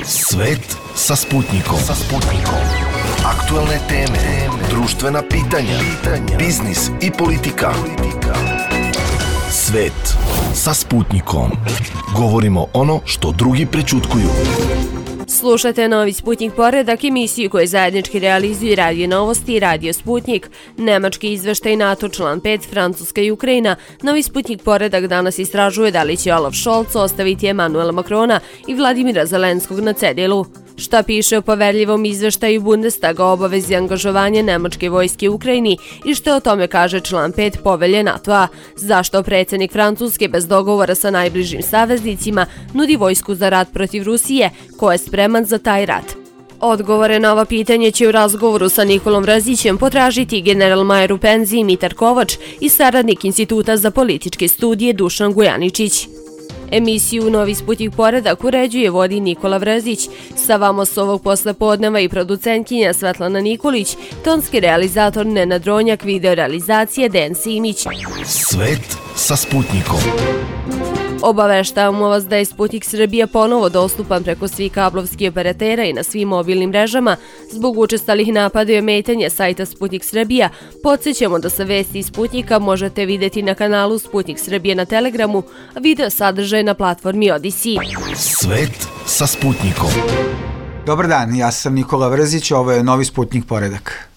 Svet sa Sputnikom. Aktualne teme, društvena pitanja, biznis i politika. Svet sa Sputnikom. Govorimo ono što drugi prećutkuju. Slušate Novi Sputnik poredak, emisiju koju zajednički realizuju Radio Novosti i Radio Sputnik. Nemački izveštaj NATO član 5, Francuska i Ukrajina. Novi Sputnik poredak danas istražuje da li će Olaf Scholz ostaviti Emanuela Macrona i Vladimira Zelenskog na cedilu. Šta piše o poverljivom izveštaju Bundestaga o obavezi angažovanja nemačke vojske u Ukrajini i što o tome kaže član 5 povelje NATO-a? Zašto predsjednik Francuske bez dogovora sa najbližim saveznicima nudi vojsku za rat protiv Rusije? Ko je spreman za taj rat? Odgovore na ova pitanje će u razgovoru sa Nikolom Vrazićem potražiti general majer u penziji Mitar Kovač i saradnik Instituta za političke studije Dušan Gujaničić. Emisiju Novi Sputnik poredak uređuje vodi Nikola Vrazić, sa vama s ovog poslepodneva i producentkinja Svetlana Nikolić, tonski realizator Nenad Ronjak, video realizacije Dejan Simić. Svet sa Sputnikom. Obaveštavamo vas da je Sputnik Srbija ponovo dostupan preko svih kablovskih operatera i na svim mobilnim mrežama. Zbog učestalih napada i ometanja sajta Sputnik Srbija, podsjećamo da se vesti iz Sputnika možete vidjeti na kanalu Sputnik Srbije na Telegramu, a video sadržaj na platformi Odisi. Svet sa Sputnikom. Dobar dan, ja sam Nikola Vrzić, ovo je Novi Sputnik poredak.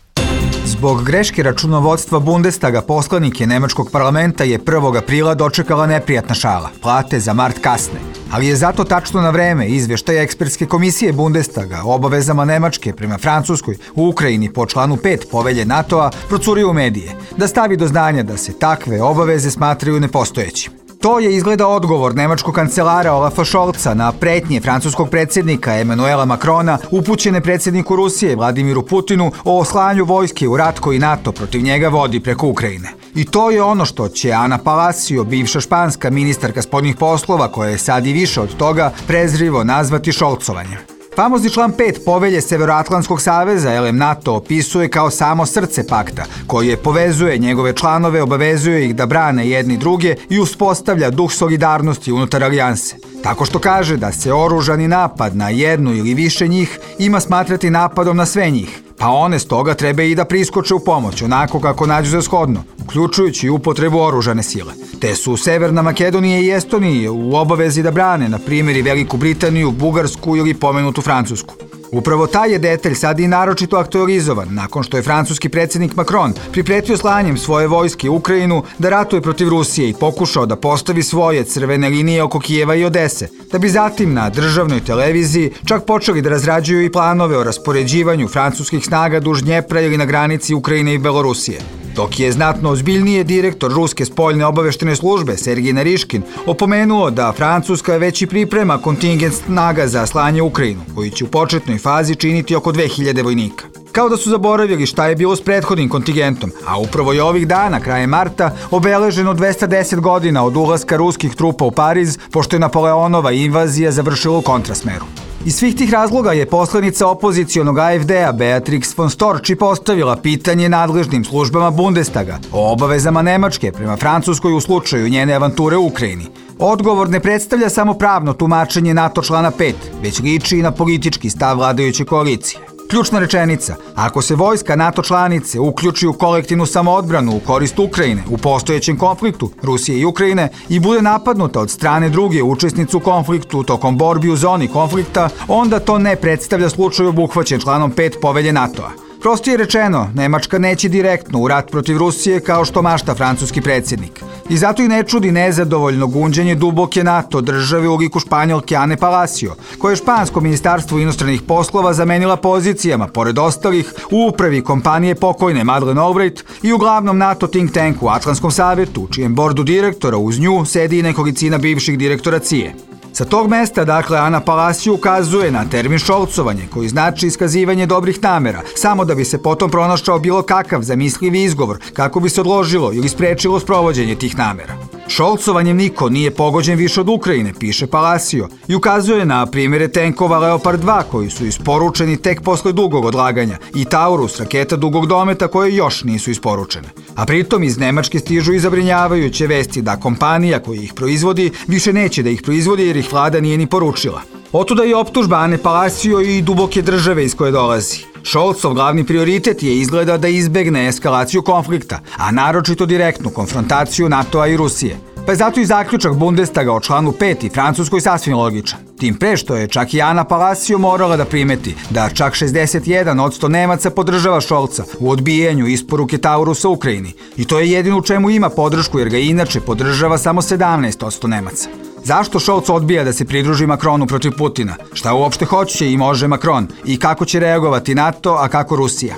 Zbog greške računovodstva Bundestaga poslanike nemačkog parlamenta je 1. aprila dočekala neprijatna šala. Plate za mart kasne. Ali je zato tačno na vreme izveštaj ekspertske komisije Bundestaga o obavezama Nemačke prema Francuskoj u Ukrajini po članu 5 povelje NATO-a procurio u medije, da stavi do znanja da se takve obaveze smatraju nepostojećim. To je izgleda odgovor nemačkog kancelara Olafa Scholza na pretnje francuskog predsjednika Emanuela Macrona upućene predsjedniku Rusije Vladimiru Putinu o slanju vojske u rat koji NATO protiv njega vodi preko Ukrajine. I to je ono što će Ana Palacio, bivša španska ministarka spoljnih poslova, koja je sad i više od toga, prezrivo nazvati šolcovanjem. Famozni član 5 povelje Severoatlantskog saveza LM NATO opisuje kao samo srce pakta, koje povezuje njegove članove, obavezuje ih da brane jedni druge i uspostavlja duh solidarnosti unutar alijanse. Tako što kaže da se oružani napad na jednu ili više njih ima smatrati napadom na sve njih, pa one stoga treba i da priskoče u pomoć, onako kako nađu za shodno, uključujući upotrebu oružane sile. Te su Severna Makedonija i Estonija u obavezi da brane, na primjer, i Veliku Britaniju, Bugarsku ili pomenutu Francusku. Upravo taj je detalj sad i naročito aktualizovan nakon što je francuski predsjednik Macron pripretio slanjem svoje vojske u Ukrajinu da ratuje protiv Rusije i pokušao da postavi svoje crvene linije oko Kijeva i Odese, da bi zatim na državnoj televiziji čak počeli da razrađuju i planove o raspoređivanju francuskih snaga duž Dnjepra ili na granici Ukrajine i Belorusije. Dok je znatno ozbiljnije direktor Ruske spoljne obaveštene službe Sergij Nariškin opomenuo da Francuska već i priprema kontingent snaga za slanje u Ukrajinu, koji će u početnoj fazi činiti oko 2000 vojnika. Kao da su zaboravili šta je bilo s prethodnim kontingentom, a upravo je ovih dana, krajem marta, obeleženo 210 godina od ulaska ruskih trupa u Pariz, pošto je Napoleonova invazija završila u kontrasmeru. Iz svih tih razloga je poslanica opozicionog AfD-a Beatrix von Storch postavila pitanje nadležnim službama Bundestaga o obavezama Nemačke prema Francuskoj u slučaju njene avanture u Ukrajini. Odgovor ne predstavlja samo pravno tumačenje NATO člana 5, već liči i na politički stav vladajuće koalicije. Ključna rečenica, ako se vojska NATO članice uključi u kolektivnu samoodbranu u korist Ukrajine u postojećem konfliktu Rusije i Ukrajine i bude napadnuta od strane druge učesnice u konfliktu tokom borbi u zoni konflikta, onda to ne predstavlja slučaj obuhvaćen članom 5 povelje NATO-a. Prostije rečeno, Nemačka neće direktno u rat protiv Rusije kao što mašta francuski predsjednik. I zato i ne čudi nezadovoljno gunđenje duboke NATO države u liku Španjolke Ane Palacio, koje je špansko ministarstvo inostranih poslova zamenila pozicijama, pored ostalih, u upravi kompanije pokojne Madeleine Albright i u glavnom NATO think tanku u Atlantskom savetu, u čijem bordu direktora uz nju sedi i nekolicina bivših direktora CIA. Sa tog mesta, dakle, Ana Palacio ukazuje na termin šolcovanje, koji znači iskazivanje dobrih namera, samo da bi se potom pronašao bilo kakav zamislivi izgovor, kako bi se odložilo ili sprečilo sprovođenje tih namera. Šolcovanjem niko nije pogođen više od Ukrajine, piše Palacio, i ukazuje na primjere tenkova Leopard 2 koji su isporučeni tek posle dugog odlaganja i Taurus, raketa dugog dometa, koje još nisu isporučene. A pritom iz Nemačke stižu i zabrinjavajuće vesti da kompanija koja ih proizvodi više neće da ih proizvodi jer ih vlada nije ni poručila. Otuda i optužba Ane Palacio i duboke države iz koje dolazi. Scholzov glavni prioritet je izgleda da izbegne eskalaciju konflikta, a naročito direktnu konfrontaciju NATO-a i Rusije. Pa je zato i zaključak Bundestaga o članu 5. Francuskoj sasvim logičan. Tim pre što je čak i Ana Palacio morala da primeti da čak 61% Nemaca podržava Scholza u odbijanju isporuke Taurusa Ukrajini. I to je jedino u čemu ima podršku jer ga inače podržava samo 17% Nemaca. Zašto Scholz odbija da se pridruži Macronu protiv Putina? Šta uopšte hoće i može Macron? I kako će reagovati NATO, a kako Rusija?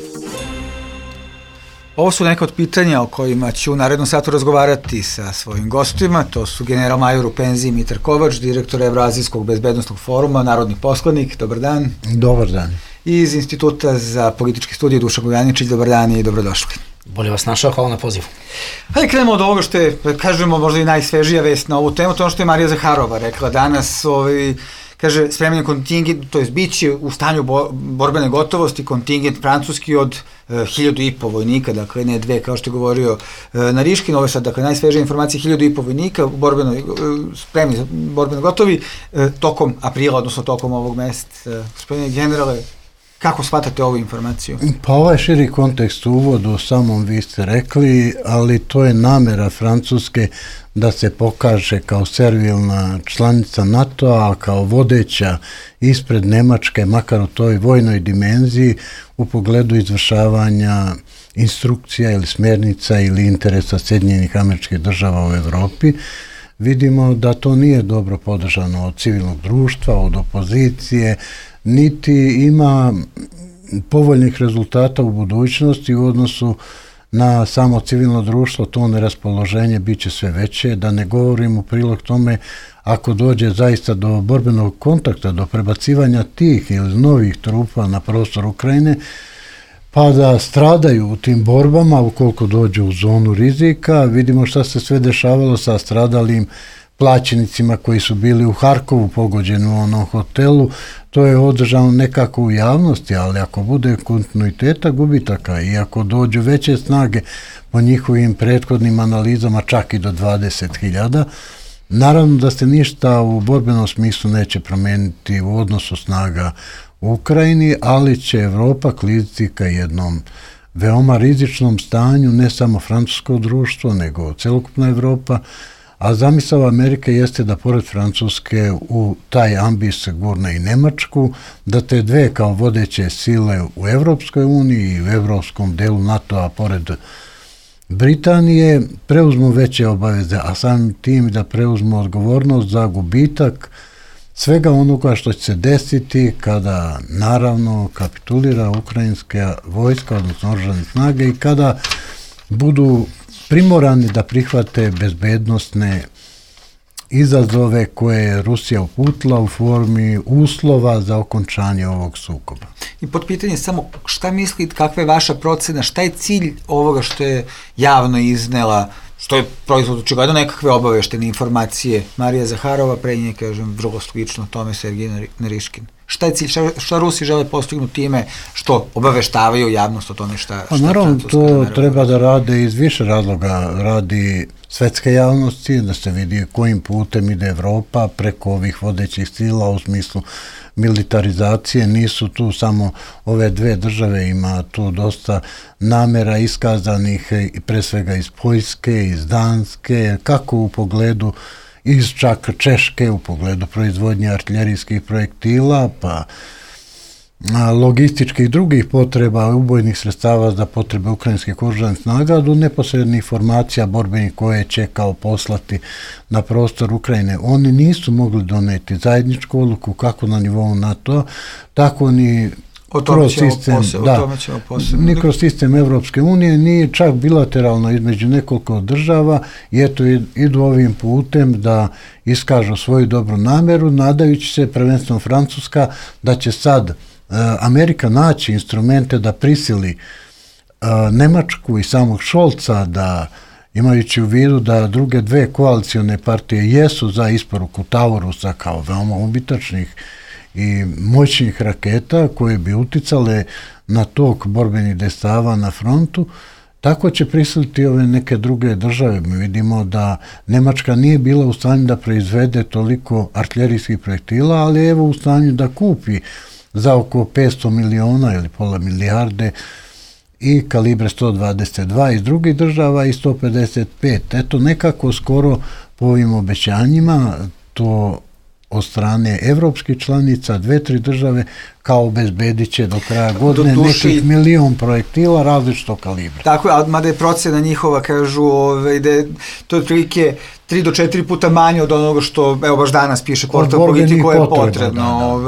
Ovo su neka od pitanja o kojima ću u narednom satu razgovarati sa svojim gostima. To su general major u penziji Mitar Kovač, direktor Evroazijskog bezbednostnog foruma, narodni poslanik. Dobar dan. Dobar dan. I iz Instituta za političke studije Dušan Gojaničić. Dobar dan i dobrodošli. Bolje vas našao, hvala na pozivu. Hajde krenemo od ovoga što je, kažemo, možda i najsvežija vest na ovu temu, to ono što je Marija Zaharova rekla danas, kaže, spreman je kontingent, to je biće u stanju borbene gotovosti kontingent francuski od 1.500 vojnika, dakle ne 2, kao što je govorio Nariškin, ovo je sad, dakle, najsvežija informacija, 1.500 vojnika spremni, borbeno gotovi, tokom aprila, odnosno tokom ovog meseca. Gospodine generale, kako shvatate ovu informaciju? Pa ovaj širi kontekst u uvodu samom vi ste rekli, ali to je namera Francuske da se pokaže kao servilna članica NATO-a, kao vodeća ispred Nemačke, makar u toj vojnoj dimenziji u pogledu izvršavanja instrukcija ili smjernica ili interesa Sjedinjenih Američkih Država u Evropi. Vidimo da to nije dobro podržano od civilnog društva, od opozicije, niti ima povoljnih rezultata u budućnosti u odnosu na samo civilno društvo. To neraspoloženje bit će sve veće, da ne govorim u prilog tome ako dođe zaista do borbenog kontakta, do prebacivanja tih ili novih trupa na prostor Ukrajine, pa da stradaju u tim borbama ukoliko dođu u zonu rizika. Vidimo šta se sve dešavalo sa stradalim plaćenicima koji su bili u Harkovu pogođeni u onom hotelu. To je održano nekako u javnosti, ali ako bude kontinuiteta gubitaka i ako dođu veće snage po njihovim prethodnim analizama čak i do 20.000, naravno da se ništa u borbenom smislu neće promeniti u odnosu snaga u Ukrajini, ali će Evropa kliziti ka jednom veoma rizičnom stanju, ne samo francusko društvo, nego celokupna Evropa, a zamisao Amerike jeste da pored Francuske u taj ambis gurne i Nemačku, da te dve kao vodeće sile u Evropskoj uniji i u evropskom delu NATO-a pored Britanije preuzmu veće obaveze, a samim tim da preuzmu odgovornost za gubitak svega onoga što će se desiti kada naravno kapitulira ukrajinska vojska, odnosno oružane snage, i kada budu primorani da prihvate bezbednosne izazove koje je Rusija uputila u formi uslova za okončanje ovog sukoba. I pod pitanje samo šta mislite, kakva je vaša procena, šta je cilj ovoga što je javno iznela, što je proizvod očigledno nekakve obaveštene informacije Marija Zaharova, pre nje, kažem, vrlo slično tome Sergej Nariškin. Šta je cilj, šta Rusi žele postignuti time što obaveštavaju javnost o tome šta naravno, to treba da rade iz više razloga. Radi svetske javnosti, da se vidi kojim putem ide Evropa preko ovih vodećih sila u smislu militarizacije. Nisu tu samo ove dve države, ima tu dosta namera iskazanih pre svega iz Poljske, iz Danske, kako u pogledu iz čak Češke u pogledu proizvodnje artiljerijskih projektila, pa logističkih drugih potreba, ubojnih sredstava za potrebe ukrajinskih oružanih snaga, do neposrednih formacija borbenih koje će kao poslati na prostor Ukrajine. Oni nisu mogli doneti zajedničku odluku kako na nivou NATO, tako ni ni kroz sistem Evropske unije, ni čak bilateralno između nekoliko država, i eto idu ovim putem da iskažu svoju dobru nameru, nadajući se, prvenstveno Francuska, da će sad Amerika naći instrumente da prisili Nemačku i samog Scholza, da imajući u vidu da druge dve koalicione partije jesu za isporuku Taurusa kao veoma ubitačnih i moćnih raketa koje bi uticale na tok borbenih dejstava na frontu, tako će prisiliti ove neke druge države. Mi vidimo da Nemačka nije bila u stanju da proizvede toliko artiljerijskih projektila, ali je evo u stanju da kupi za oko 500 miliona ili pola milijarde i kalibre 122 iz drugih država i 155. Eto, nekako skoro po ovim obećanjima to od strane evropskih članica, 2-3 države, kao obezbedit će do kraja godine nekih 1.000.000 projektila različitog kalibra. Tako je, mada je procena njihova, kažu, da je to otprilike 3 do 4 puta manje od onoga što, evo baš danas piše portal Politiko je potrebno.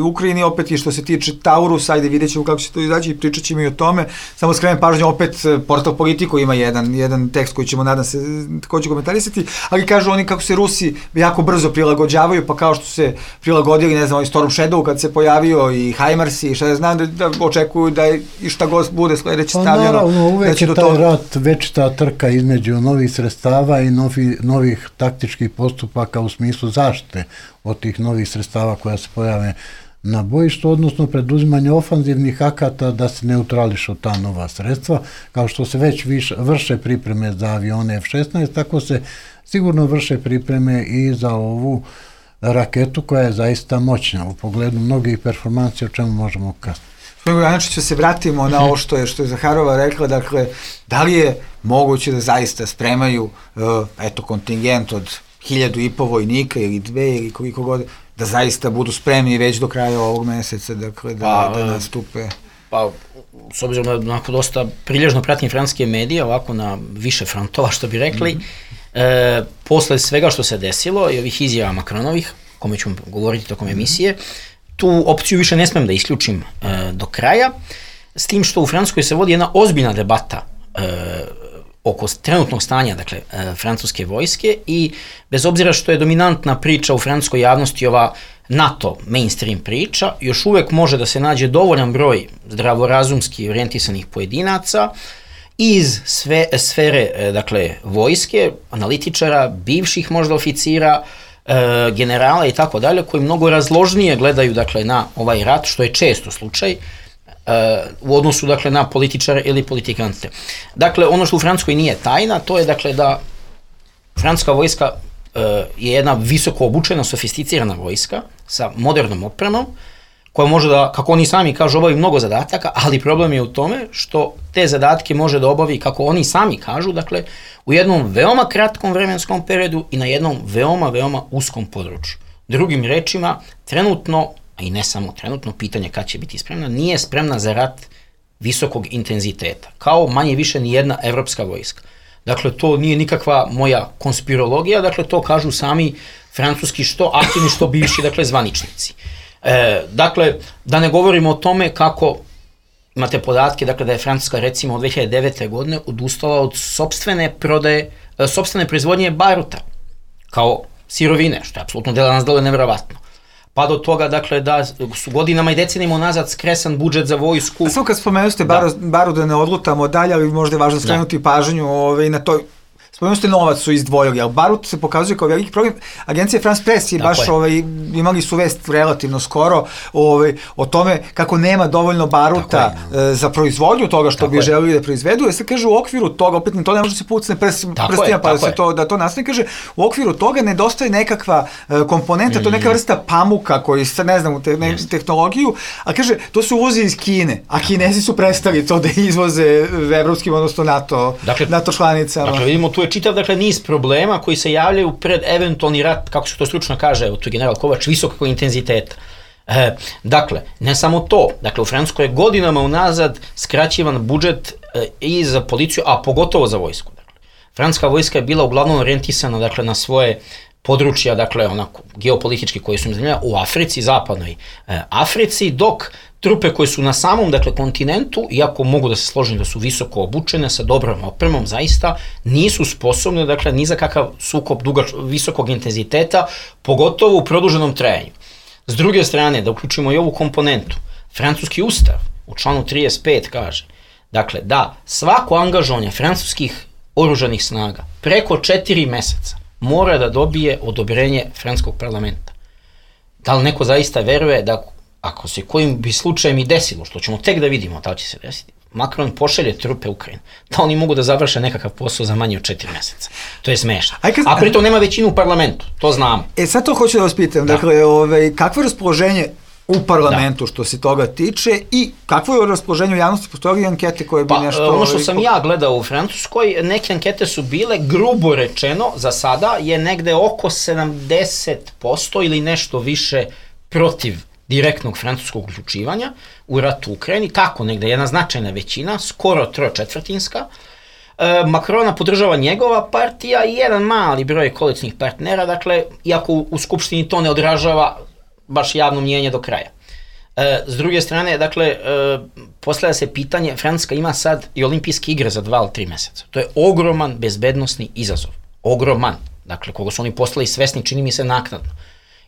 Ukrajini opet i što se tiče Taurusa, ajde vidjet ćemo kako će to izaći i pričat ćemo i o tome. Samo skrenem pažnju, opet portal Politiko ima jedan tekst koji ćemo, nadam se, takođe komentarisati, ali kažu oni kako se Rusi jako brzo prilagođavaju, pa kao što se prilagodili, ne znam, ovaj Storm Shadow kad se pojavio i HIMARS i šta ja znam, da očekuju da i šta god bude sledeće stavljeno. Pa naravno, uvek je taj rat, večita trka između novih sredstava i novih taktičkih postupaka u smislu zaštite od tih novih sredstava koja se pojave na bojištu, odnosno preduzimanje ofanzivnih akata da se neutrališu ta nova sredstva, kao što se već vrše pripreme za avione F-16, tako se sigurno vrše pripreme i za ovu raketu koja je zaista moćna u pogledu mnogih performansi, o čemu možemo kasnije. Znači, se vratimo na ovo što je Zaharova rekla, dakle, da li je moguće da zaista spremaju kontingent od 1.500 vojnika ili 2 ili koliko god, da zaista budu spremni već do kraja ovog meseca, dakle, da nastupe? Pa, s obzirom na dosta prilježno pratim francuske medije, ovako na više frontova, što bi rekli, posle svega što se desilo i ovih izjava Macronovih, kome ću govoriti tokom emisije, tu opciju više ne smem da isključim do kraja, s tim što u Francuskoj se vodi jedna ozbiljna debata oko trenutnog stanja, dakle, francuske vojske, i bez obzira što je dominantna priča u francuskoj javnosti ova NATO mainstream priča, još uvek može da se nađe dovoljan broj zdravorazumski orijentisanih pojedinaca iz sfere, dakle, vojske, analitičara, bivših možda oficira, generala i tako dalje, koji mnogo razložnije gledaju, dakle, na ovaj rat, što je često slučaj, u odnosu, dakle, na političare ili politikante. Dakle, ono što u Francuskoj nije tajna, to je, dakle, da francuska vojska je jedna visoko obučena, sofisticirana vojska sa modernom opremom, koja može da, kako oni sami kažu, obavi mnogo zadataka, ali problem je u tome što te zadatke može da obavi, kako oni sami kažu, dakle, u jednom veoma kratkom vremenskom periodu i na jednom veoma, veoma uskom području. Drugim rečima, trenutno, a i ne samo trenutno, pitanje kad će biti spremna, nije spremna za rat visokog intenziteta, kao manje više ni jedna evropska vojska. Dakle, to nije nikakva moja konspirologija, dakle, to kažu sami francuski što aktivni, što bivši, dakle, zvaničnici. Dakle, da ne govorimo o tome kako imate podatke, dakle, da je Francuska, recimo, od 2009. godine odustala od sopstvene proizvodnje baruta kao sirovine, što je apsolutno nas deluje nevjerovatno. Pa do toga, dakle, da su godinama i decenijama nazad skresan budžet za vojsku. A samo kad spomenuste baru da ne odlutamo dalje, ali možda je važno skrenuti pažnju na to. Spomenuste novac su izdvojili, ali barut se pokazuje kao veliki problem. Agencija France Press je baš imali su vest relativno skoro o tome kako nema dovoljno baruta za proizvodnju toga što bi želeli da proizvedu. Jer se kaže u okviru toga, opet to ne može se pucne prstima pa da to nastane, kaže u okviru toga nedostaje nekakva komponenta, to je neka vrsta pamuka koji sad ne znam tehnologiju, a kaže to se uvozi iz Kine, a Kinezi su prestali to da izvoze evropskim, odnosno NATO članicama. Dakle, vidimo tu je čitav, dakle, niz problema koji se javljaju pred eventualni rat, kako se to stručno kaže, evo tu je general Kovač, visokog intenziteta. Dakle, ne samo to, dakle, u Francuskoj je godinama unazad skraćivan budžet i za policiju, a pogotovo za vojsku. Dakle, francuska vojska je bila uglavnom orijentisana, dakle, na svoje područja, dakle, onako, geopolitički koji su im zanimljena u Africi, zapadnoj Africi, dok trupe koje su na samom, dakle, kontinentu, iako mogu da se složim da su visoko obučene, sa dobrom opremom, zaista nisu sposobne, dakle, ni za kakav sukob visokog intenziteta, pogotovo u produženom trajanju. S druge strane, da uključimo i ovu komponentu, francuski ustav u članu 35 kaže, dakle, da svako angažovanje francuskih oružanih snaga preko 4 meseca mora da dobije odobrenje francuskog parlamenta. Da li neko zaista veruje da ako se kojim bi slučajem i desilo, što ćemo tek da vidimo da li će se desiti, Macron pošalje trupe u Ukrajinu, da oni mogu da završe nekakav posao za manje od 4 meseca. To je smešno. A pritom nema većinu u parlamentu, to znamo. Sad to hoću da vas pitam, dakle, kakvo je raspoloženje u parlamentu što se toga tiče i kakvo je raspoloženje u javnosti, postoje ankete koje bi nešto... Ono što sam ja gledao u Francuskoj, neke ankete su bile, grubo rečeno, za sada je negde oko 70% ili nešto više protiv direktnog francuskog uključivanja u rat u Ukrajini, tako negde, jedna značajna većina, skoro 3/4. Macrona podržava njegova partija i jedan mali broj koalicijnih partnera, dakle, iako u Skupštini to ne odražava baš javno mnjenje do kraja. S druge strane, dakle, postavlja se pitanje, Francuska ima sad i olimpijske igre za 2 ili 3 meseca. To je ogroman bezbednosni izazov. Ogroman. Dakle, koga su oni postali svesni, čini mi se naknadno.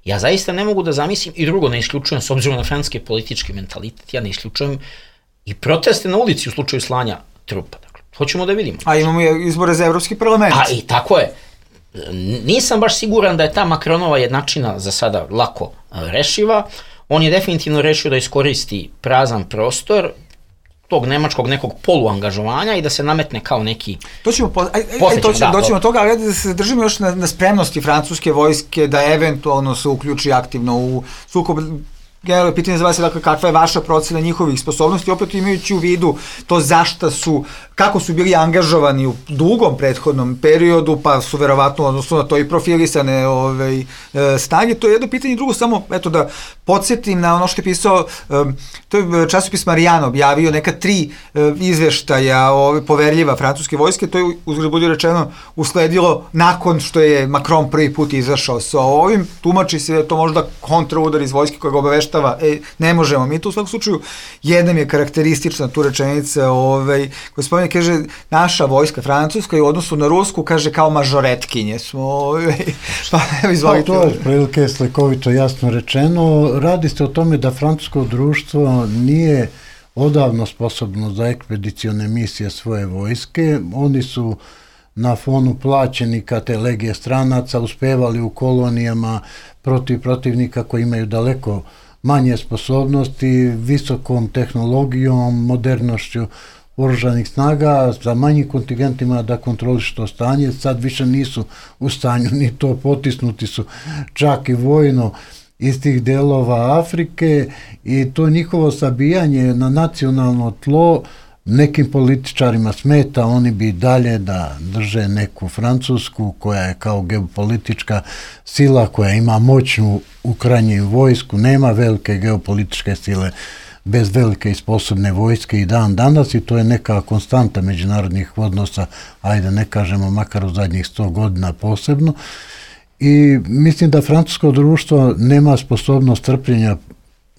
Ja zaista ne mogu da zamislim, i drugo ne isključujem, s obzirom na francuski politički mentalitet, ja ne isključujem i proteste na ulici u slučaju slanja trupa. Dakle, hoćemo da vidimo. A imamo izbore za Evropski parlament. A i tako je. Nisam baš siguran da je ta Macronova jednačina za sada lako rešiva. On je definitivno rešio da iskoristi prazan prostor tog nemačkog nekog poluangažovanja i da se nametne kao neki... Doćemo toga, ali da se držimo još na spremnosti francuske vojske da eventualno se uključi aktivno u sukob. Generalno pitanje za vas je, dakle, kakva je vaša procena njihovih sposobnosti, opet imajući u vidu to kako su bili angažovani u dugom prethodnom periodu, pa su verovatno odnosno na to i profilisane snage. To je jedno pitanje. Drugo, samo da podsjetim na ono što je pisao, to je časopis Marijan objavio neka 3 izveštaja poverljiva francuske vojske, to je, uzgled budi rečeno, usledilo nakon što je Macron prvi put izašao sa ovim. Tumači se da je to možda kontraudar iz vojske koja ga obaveštava, ne možemo mi to. U svakom slučaju, jednom je karakteristična tu rečenica, gospodin kaže, naša vojska francuska i u odnosu na rusku, kaže, kao mažoretkinje smo, pa evo izvolite. To je prilike slikovito jasno rečeno. Radi se o tome da francusko društvo nije odavno sposobno za ekspedicione misije svoje vojske. Oni su na fonu plaćenika te legije stranaca uspevali u kolonijama protiv protivnika koji imaju daleko manje sposobnosti, visokom tehnologijom, modernošću oružanih snaga, sa manjim kontingentima da kontrolišu to stanje. Sad više nisu u stanju ni to, potisnuti su čak i vojno iz tih delova Afrike i to njihovo sabijanje na nacionalno tlo nekim političarima smeta. Oni bi dalje da drže neku Francusku koja je kao geopolitička sila, koja ima moćnu u krajnjem vojsku, nema velike geopolitičke sile bez velike i sposobne vojske i dan danas, i to je neka konstanta međunarodnih odnosa, ajde ne kažemo makar u zadnjih 100 godina posebno. I mislim da francusko društvo nema sposobnost trpljenja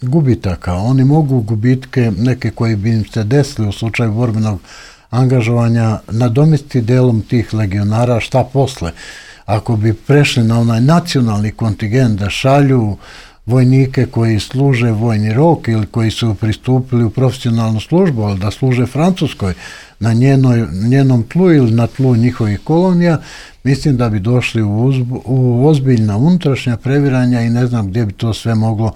gubitaka. Oni mogu gubitke neke koji bi im se desili u slučaju borbenog angažovanja nadomestiti delom tih legionara. Šta posle? Ako bi prešli na onaj nacionalni kontingent da šalju vojnike koji služe vojni rok ili koji su pristupili u profesionalnu službu, ali da služe Francuskoj na njenom tlu ili na tlu njihovih kolonija, mislim da bi došli u ozbiljna unutrašnja previranja i ne znam gdje bi to sve moglo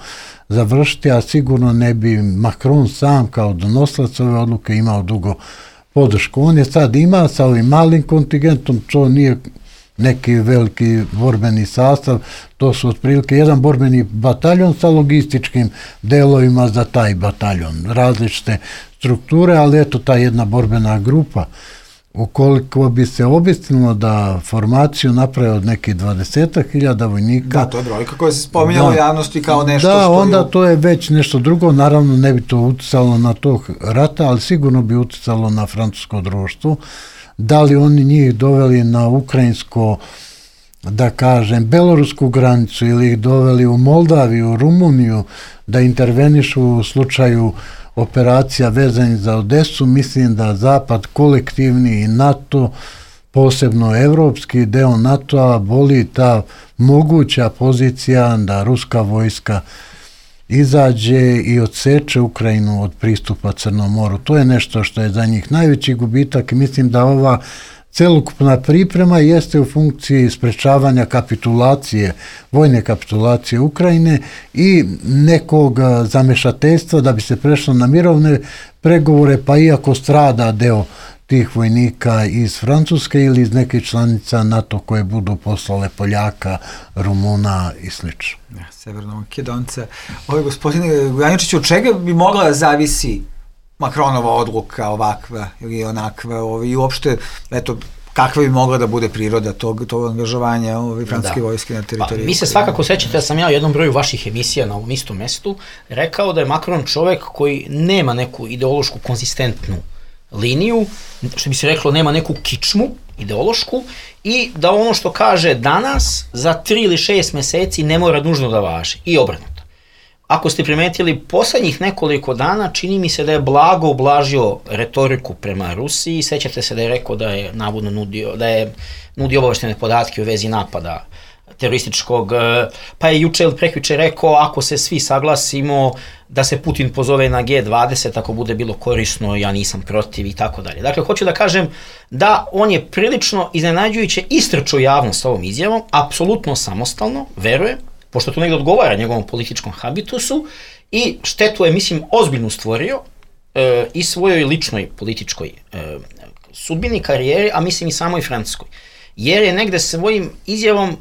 završiti, a sigurno ne bi Macron sam kao donosilac ove odluke imao dugo podršku. On je sad ima sa ovim malim kontingentom, to nije neki veliki borbeni sastav, to su otprilike jedan borbeni bataljon sa logističkim delovima za taj bataljon, različite strukture, ali eto ta jedna borbena grupa. Ukoliko bi se obistinilo da formaciju napravi od nekih 20.000 vojnika... Da, to je brojka koja se spominjala u javnosti kao nešto što... Da, onda to je već nešto drugo, naravno ne bi to uticalo na tog rata, ali sigurno bi uticalo na francusko društvo. Da li oni njih doveli na ukrajinsko, da kažem, belorusku granicu ili ih doveli u Moldaviju, Rumuniju, da intervenišu u slučaju operacija vezanih za Odesu, mislim da Zapad kolektivni i NATO, posebno evropski deo NATO-a, boli ta moguća pozicija da ruska vojska izađe i odseče Ukrajinu od pristupa Crnom moru. To je nešto što je za njih najveći gubitak i mislim da ova celokupna priprema jeste u funkciji sprečavanja kapitulacije, vojne kapitulacije Ukrajine i nekog zamešateljstva da bi se prešlo na mirovne pregovore, pa iako strada deo tih vojnika iz Francuske ili iz nekih članica NATO koje budu poslale Poljaka, Rumuna i sl. Severno Makedonca. Gospodine Gujaničiću, od čega bi mogla da zavisi Makronova odluka ovakva ili onakva i uopšte, eto, kakva bi mogla da bude priroda tog angažovanja francuske vojske na teritoriji? Mi se svakako sećate da sam ja u jednom broju vaših emisija na ovom istom mestu rekao da je Macron čovek koji nema neku ideološku konzistentnu liniju, što bi se reklo nema neku kičmu ideološku i da ono što kaže danas za 3 ili 6 meseci ne mora nužno da važi i obrnuto. Ako ste primetili poslednjih nekoliko dana, čini mi se da je blago ublažio retoriku prema Rusiji, sećate se da je rekao da je navodno nudio obaveštene podatke u vezi napada terorističkog, pa je juče ili prekjuče rekao ako se svi saglasimo da se Putin pozove na G20, ako bude bilo korisno, ja nisam protiv i tako dalje. Dakle, hoću da kažem da on je prilično iznenađujuće istrčao javnost ovom izjavom, apsolutno samostalno, verujem, pošto to negdje odgovara njegovom političkom habitusu i štetu je, mislim, ozbiljno stvorio i svojoj ličnoj političkoj sudbini, karijeri, a mislim i samoj Francuskoj. Jer je negde svojim izjavom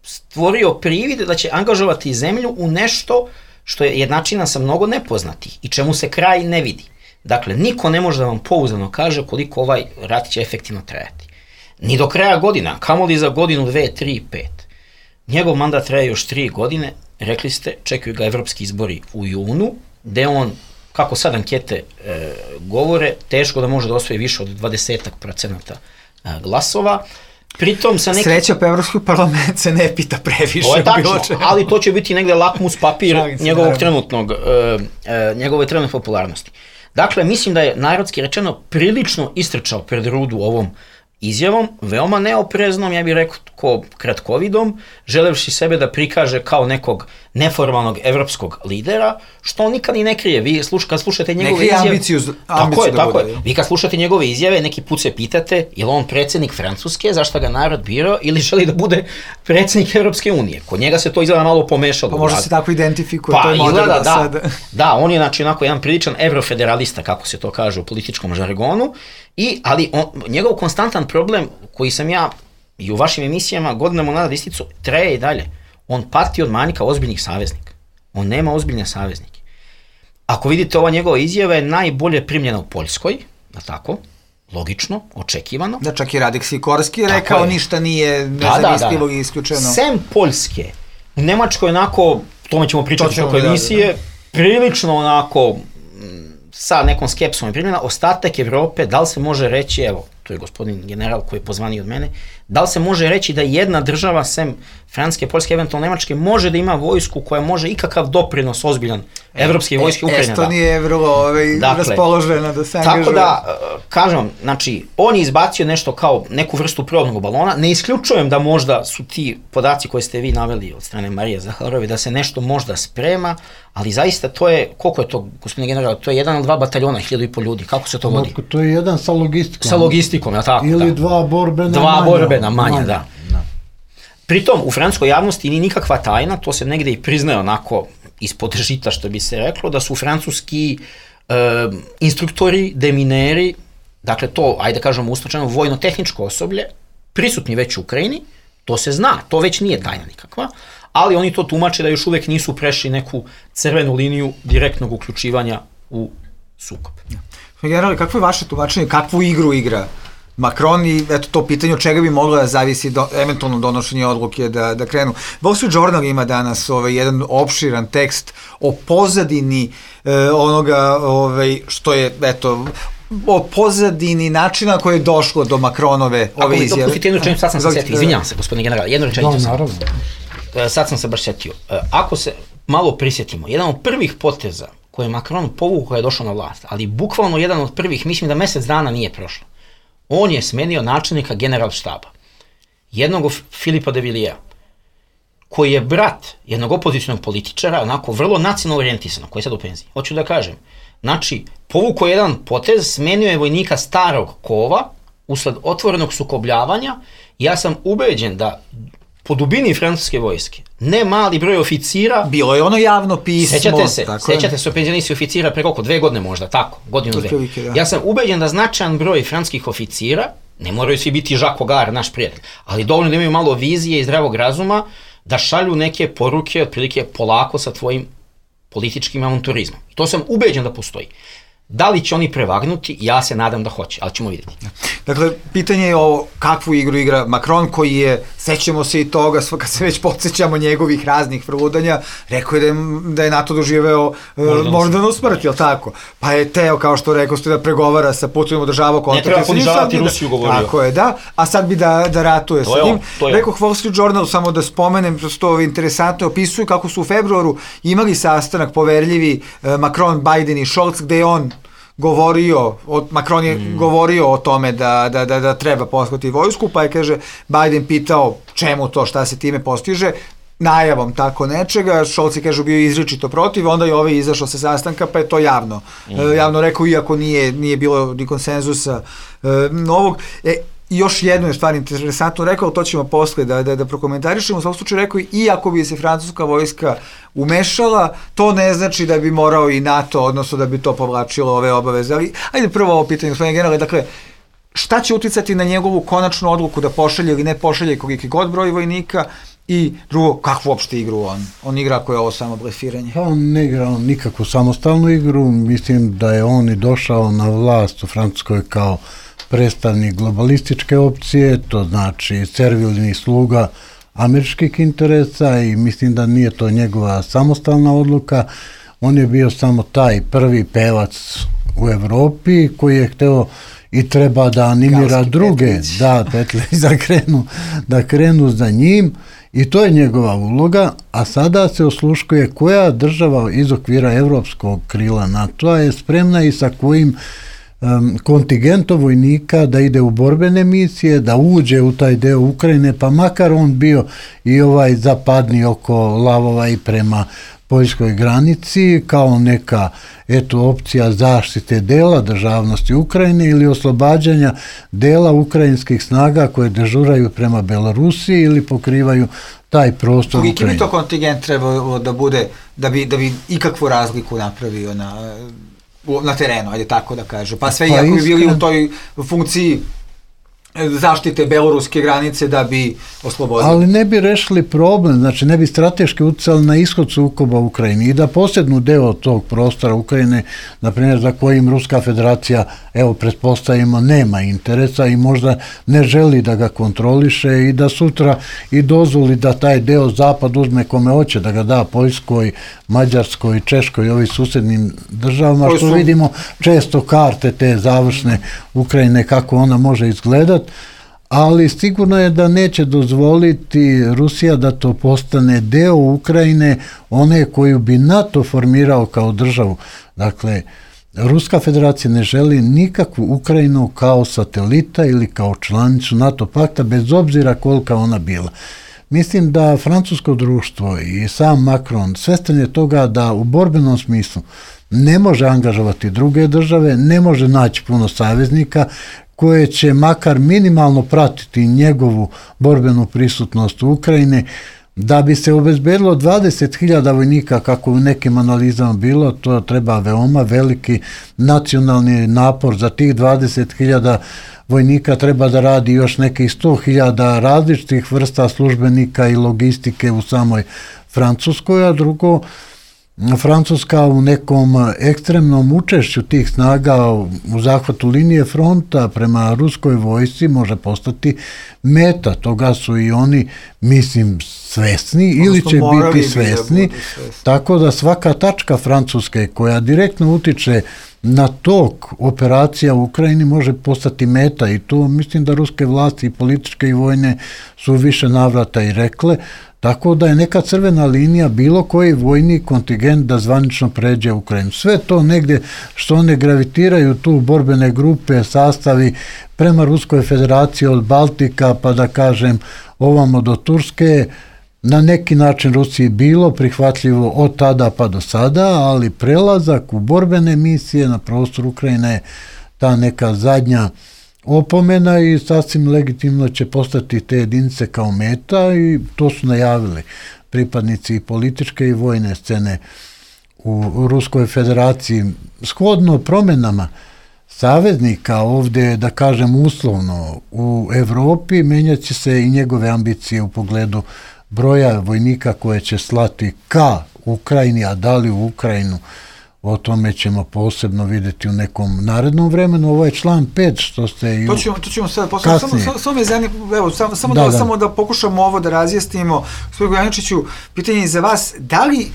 stvorio privid da će angažovati zemlju u nešto što je jednačina sa mnogo nepoznatih i čemu se kraj ne vidi. Dakle, niko ne može da vam pouzdano kaže koliko ovaj rat će efektivno trajati. Ni do kraja godina, kamoli za godinu, 2, 3, 5. Njegov mandat traje još 3 godine, rekli ste, čekaju ga evropski izbori u junu, gde on, kako sad ankete govore, teško da može da osvoji više od 20% glasova. Pritom sa Sreća pa Evropski parlament se ne pita previše. To je tačno, ali to će biti negde lakmus papir njegove trenutne popularnosti. Dakle, mislim da je narodski rečeno prilično istrčao pred rudu ovom izjavom, veoma neopreznom, ja bih rekao kratkovidom, želevši sebe da prikaže kao nekog neformalnog evropskog lidera, što on nikad i ne krije. Vi kad slušate njegove izjave... ambiciju tako je. Vi kad slušate njegove izjave, neki put se pitate, je li on predsjednik Francuske, zašto ga narod birao, ili želi da bude predsjednik Evropske unije. Kod njega se to izgleda malo pomešalo. Pa možda se tako identifikuje, to je moderno sada. Da, on je znači onako jedan priličan evrofederalista, kako se to kaže u političkom žargonu, ali njegov konstantan problem koji sam ja i u vašim emisijama godinama unazad isticu, traje i dalje. On pati od manjka ozbiljnih saveznika. On nema ozbiljne saveznike. Ako vidite, ova njegova izjava je najbolje primljena u Poljskoj, da tako, logično, očekivano. Da, čak i Radek Sikorski rekao ništa nije nezamislivo i isključeno. Sem Poljske, u Nemačkoj onako, tome ćemo pričati oko emisije, prilično onako sa nekom skepsom je primljena, ostatak Evrope, da li se može reći, evo, to je gospodin general koji je pozvaniji od mene, da li se može reći da jedna država, sem Francuske, Poljske, eventualno Nemačke, može da ima vojsku koja može ikakav doprinos ozbiljan evropske vojske Ukrajine. Estonija je vrlo raspoložena da se angažuje. Tako da, kažem, znači, on je izbacio nešto kao neku vrstu probnog balona, ne isključujem da možda su ti podaci koje ste vi naveli od strane Marije Zaharove, da se nešto možda sprema, ali zaista to je, koliko je to, gospodine general, to je 1 ili 2 bataljona, 1500 ljudi, kako se to vodi? To je jedan sa logistikom. Sa logistikom, ja tako, ili 2 borbena manja. 2 borbena manja, da. Pritom, u francuskoj javnosti nije nikakva tajna, to se negde i priznaje onako ispod žita, što bi se reklo, da su francuski instruktori, demineri, dakle to, ajde kažemo ustočeno, vojno-tehničko osoblje, prisutni već u Ukrajini, to se zna, to već nije tajna nikakva, ali oni to tumače da još uvek nisu prešli neku crvenu liniju direktnog uključivanja u sukob. Generale, kakvo je vaše tumačenje, kakvu igru igra Macron i eto to pitanje od čega bi moglo da zavisi eventualno donošenje odluke da krenu. Wall Street Journal ima danas jedan opširan tekst o pozadini onoga što je, eto, o pozadini načina koje je došlo do Macronove ove izjave. Ako mi dopustite jednu rečenicu, sad sam se setio, izvinjavam se, gospodine general, jednu rečenicu sam. Sad sam se baš setio. Ako se malo prisjetimo, jedan od prvih poteza koje je Macron povukao kada je došao na vlast, ali bukvalno jedan od prvih, mislim da mesec dana nije prošlo. On je smenio načelnika generalštaba, jednog Filipa de Villiers, koji je brat jednog opozicionog političara, onako vrlo nacionalno orijentisanog, koji je sad u penziji. Hoću da kažem, znači, povukao jedan potez, smenio je vojnika starog kova, usled otvorenog sukobljavanja, ja sam ubeđen da po dubini francuske vojske, ne mali broj oficira... Bilo je ono javno pismo. Sećate se o penzionistima oficira pre koliko, 2 godine možda, tako, godinu, 2. Ja sam ubeđen da značajan broj francuskih oficira, ne moraju svi biti Jacques Augar, naš prijatelj, ali dovoljno da imaju malo vizije i zdravog razuma, da šalju neke poruke, otprilike polako sa tvojim političkim avanturizmom. To sam ubeđen da postoji. Da li će oni prevagnuti? Ja se nadam da hoće, ali ćemo vidjeti. Dakle, pitanje je o kakvu igru igra Macron, koji je, sećamo se i toga, kad se već podsjećamo njegovih raznih vrludanja, rekao je da je NATO doživeo moždanu smrt, jel tako? Pa je teo, kao što rekao ste, da pregovara sa Putinom, održavao kontakt. Ne treba ponižavati Rusiju, govorio. Tako je, da. A sad bi da ratuje sa njim. Rekao Wall Street Journal, samo da spomenem, što interesantno opisuju kako su u februaru imali sastanak poverljivi Macron, Biden i Scholz, gde je on Macron je govorio o tome da treba poslati vojsku, pa je, kaže, Biden pitao čemu to, šta se time postiže, najavom tako nečega, Scholz je, kaže, bio izričito protiv, onda je ovaj izašao sa sastanka, pa je to javno rekao, iako nije bilo ni konsenzusa novog. Još jednu je stvar interesantno rekao, to ćemo posle da prokomentarišemo, u svakom slučaju rekao, iako bi se francuska vojska umešala, to ne znači da bi morao i NATO, odnosno da bi to povlačilo ove obaveze. Ali, ajde prvo ovo pitanje, gospodine generale, dakle, šta će uticati na njegovu konačnu odluku da pošalje ili ne pošalje koliki god broj vojnika, i drugo, kakvu uopšte igru on igra ako je ovo samo blefiranje? Pa on ne igra nikakvu samostalnu igru, mislim da je on i došao na vlast u Francuskoj kao predstavnik globalističke opcije, to znači servilni sluga američkih interesa, i mislim da nije to njegova samostalna odluka. On je bio samo taj prvi pevac u Evropi koji je hteo i treba da animira druge, da krenu za njim, i to je njegova uloga. A sada se osluškuje koja država iz okvira evropskog krila NATO-a je spremna i sa kojim kontingentom vojnika da ide u borbene misije, da uđe u taj deo Ukrajine, pa makar on bio i ovaj zapadni oko Lavova i prema poljskoj granici, kao neka opcija zaštite dela državnosti Ukrajine ili oslobađanja dela ukrajinskih snaga koje dežuraju prema Belorusiji ili pokrivaju taj prostor Ukrajine. Koliki bi to kontingent trebalo da bude da bi ikakvu razliku napravio na terenu, ajde tako da kažem. Pa sve iako bi bili u toj funkciji zaštite beloruske granice da bi oslobodili. Ali ne bi rešili problem, znači ne bi strateški uticali na ishod sukoba u Ukrajini i da posjednu deo tog prostora Ukrajine, na primjer za kojim Ruska federacija, pretpostavimo, nema interesa i možda ne želi da ga kontroliše i da sutra i dozvoli da taj deo zapad uzme kome hoće, da ga da Poljskoj, Mađarskoj, Češkoj i ovih susednim državama, što vidimo često karte te završne Ukrajine kako ona može izgledati. Ali sigurno je da neće dozvoliti Rusija da to postane deo Ukrajine, one koju bi NATO formirao kao državu. Dakle, Ruska federacija ne želi nikakvu Ukrajinu kao satelita ili kao članicu NATO pakta, bez obzira kolika ona bila. Mislim da francusko društvo i sam Macron svestan je toga da u borbenom smislu ne može angažovati druge države, ne može naći puno saveznika koje će makar minimalno pratiti njegovu borbenu prisutnost u Ukrajini. Da bi se obezbedilo 20.000 vojnika, kako u nekim analizama bilo, to treba veoma veliki nacionalni napor. Za tih 20.000 vojnika treba da radi još nekih 100.000 različitih vrsta službenika i logistike u samoj Francuskoj, a drugo, Francuska u nekom ekstremnom učešću tih snaga u zahvatu linije fronta prema ruskoj vojsci može postati meta. Toga su i oni, mislim, svesni ili će biti svesni, tako da svaka tačka Francuske koja direktno utiče na tok operacija u Ukrajini može postati meta, i to mislim da ruske vlasti, političke i vojne, su više navrata i rekle. Tako da je neka crvena linija bilo koji vojni kontingent da zvanično pređe u Ukrajinu. Sve to negdje što one gravitiraju tu borbene grupe, sastavi prema Ruskoj federaciji od Baltika pa da kažem ovamo do Turske, na neki način Rusiji bilo prihvatljivo od tada pa do sada, ali prelazak u borbene misije na prostor Ukrajine je ta neka zadnja opomena i sasvim legitimno će postati te jedinice kao meta i to su najavili pripadnici političke i vojne scene u Ruskoj federaciji. Shodno promjenama saveznika ovdje, da kažem uslovno, u Evropi menjat će se i njegove ambicije u pogledu broja vojnika koje će slati ka Ukrajini, a da li u Ukrajinu, o tome ćemo posebno vidjeti u nekom narednom vremenu. Ovo je član 5, što ste i to ćemo sad kasnije. Samo me zanima, evo, samo da pokušamo ovo da razjasnimo. Gospodin Gojaničiću, pitanje je za vas, da li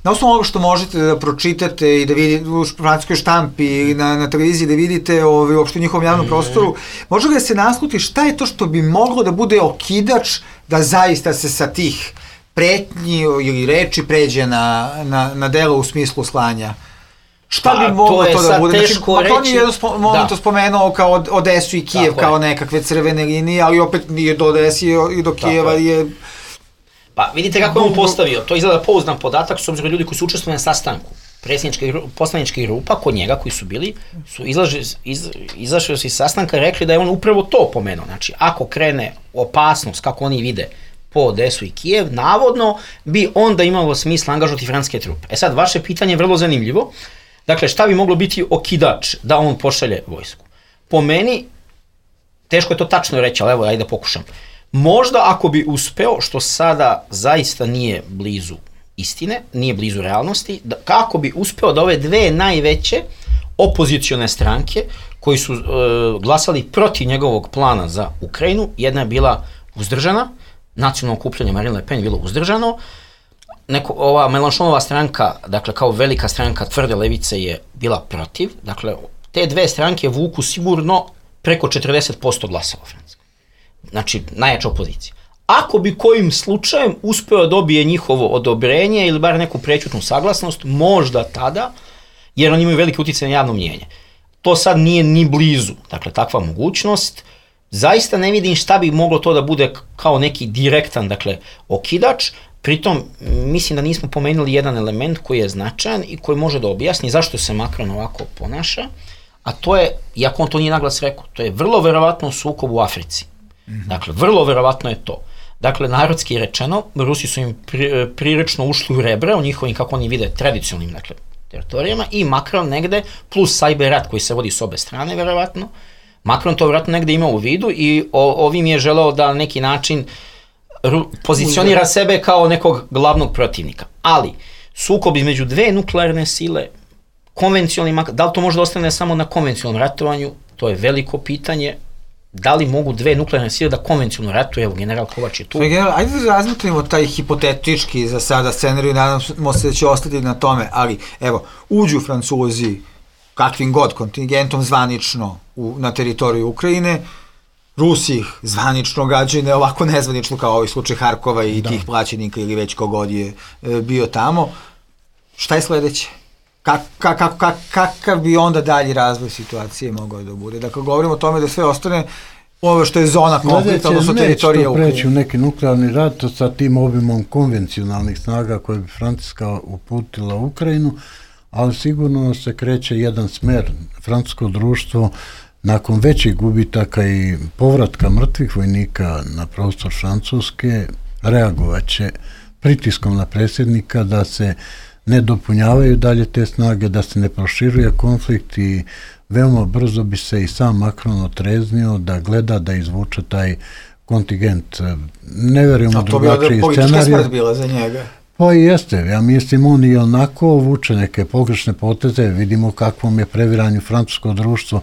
na osnovu ovoga što možete da pročitate i da vidite u francuskoj štampi ili na televiziji da vidite uopšte u njihovom javnom prostoru, može li da se nasluti šta je to što bi moglo da bude okidač da zaista se sa tih pretnji ili reči pređe na delo u smislu slanja? Šta bi moglo to da bude? Znači, Macron je jedno momento spomenuo kao Odesu i Kijev kao nekakve crvene linije, ali opet nije do Odesi i do Kijeva je... Pa vidite kako je on postavio, to izgleda pouzdan podatak, s obzirom ljudi koji su učestvovali na sastanku poslaničkih grupa kod njega koji su bili, su izašli iz sastanka i rekli da je on upravo to pomenuo. Znači, ako krene opasnost, kako oni vide, po Odesu i Kijev, navodno bi onda imalo smisla angažovati francuske trupe. E sad, vaše pitanje je vrlo zanimljivo. Dakle, šta bi moglo biti okidač da on pošalje vojsku? Po meni, teško je to tačno reći, ali evo, ajde da pokušam. Možda ako bi uspeo, što sada zaista nije blizu istine, nije blizu realnosti, kako bi uspeo da ove dve najveće opozicione stranke koji su glasali protiv njegovog plana za Ukrajinu, jedna je bila uzdržana, nacionalno okupljanje Marine Le Pen je bilo uzdržano, ova Mélenchonova stranka, dakle kao velika stranka tvrde levice je bila protiv, dakle te dve stranke vuku sigurno preko 40% glasova u Francuskoj. Znači, najjača opozicija. Ako bi kojim slučajem uspeo dobije njihovo odobrenje ili bar neku prećutnu saglasnost, možda tada, jer oni imaju velike utjecaj na javno mnijenje. To sad nije ni blizu, dakle, takva mogućnost. Zaista ne vidim šta bi moglo to da bude kao neki direktan, dakle, okidač. Pritom, mislim da nismo pomenuli jedan element koji je značajan i koji može da objasni zašto se Macron ovako ponaša, a to je, iako on to nije naglas rekao, to je vrlo verovatno sukob u Africi. Dakle, vrlo verovatno je to. Dakle, narodski rečeno, Rusi su im prilično ušli u rebra u njihovim, kako oni vide, tradicionalnim, dakle, teritorijama i Macron negde, plus cyber rat koji se vodi s obe strane, verovatno, Macron to verovatno negde ima u vidu i ovim je želeo da na neki način pozicionira sebe kao nekog glavnog protivnika. Ali, sukob između dve nuklearne sile, konvencionalni, da li to može da ostane samo na konvencionalnom ratovanju, to je veliko pitanje. Da li mogu dve nuklearne sile da konvencionalno ratuju? Evo, general Kovač je tu. Ajde da razmotrimo taj hipotetički za sada scenariju, nadamo se da će ostati na tome, ali evo, uđu Francuzi kakvim god kontingentom zvanično na teritoriju Ukrajine, Rusi ih zvanično gađaju, ne ovako nezvanično kao ovaj slučaj Harkova i tih plaćenika ili već kogod je bio tamo. Šta je sledeće? Kakav bi onda dalji razvoj situacije mogao da bude? Dakle, govorimo o tome da sve ostane ovo što je zona konflikta, odnosno teritorija Ukrajine. Neće preći u neki nuklearni rat sa tim obimom konvencionalnih snaga koje bi Francuska uputila u Ukrajinu, ali sigurno se kreće jedan smer. Francusko društvo nakon većih gubitaka i povratka mrtvih vojnika na prostor Francuske reagovaće pritiskom na predsjednika da se ne dopunjavaju dalje te snage, da se ne proširuje konflikt i veoma brzo bi se i sam Macron otreznio da gleda da izvuče taj kontingent. Ne verujem u drugačiji scenarij. To bi politička smrt bila za njega. Pa i jeste, ja mislim on i onako vuče neke pogrešne poteze, vidimo kakvom je previranju francusko društvo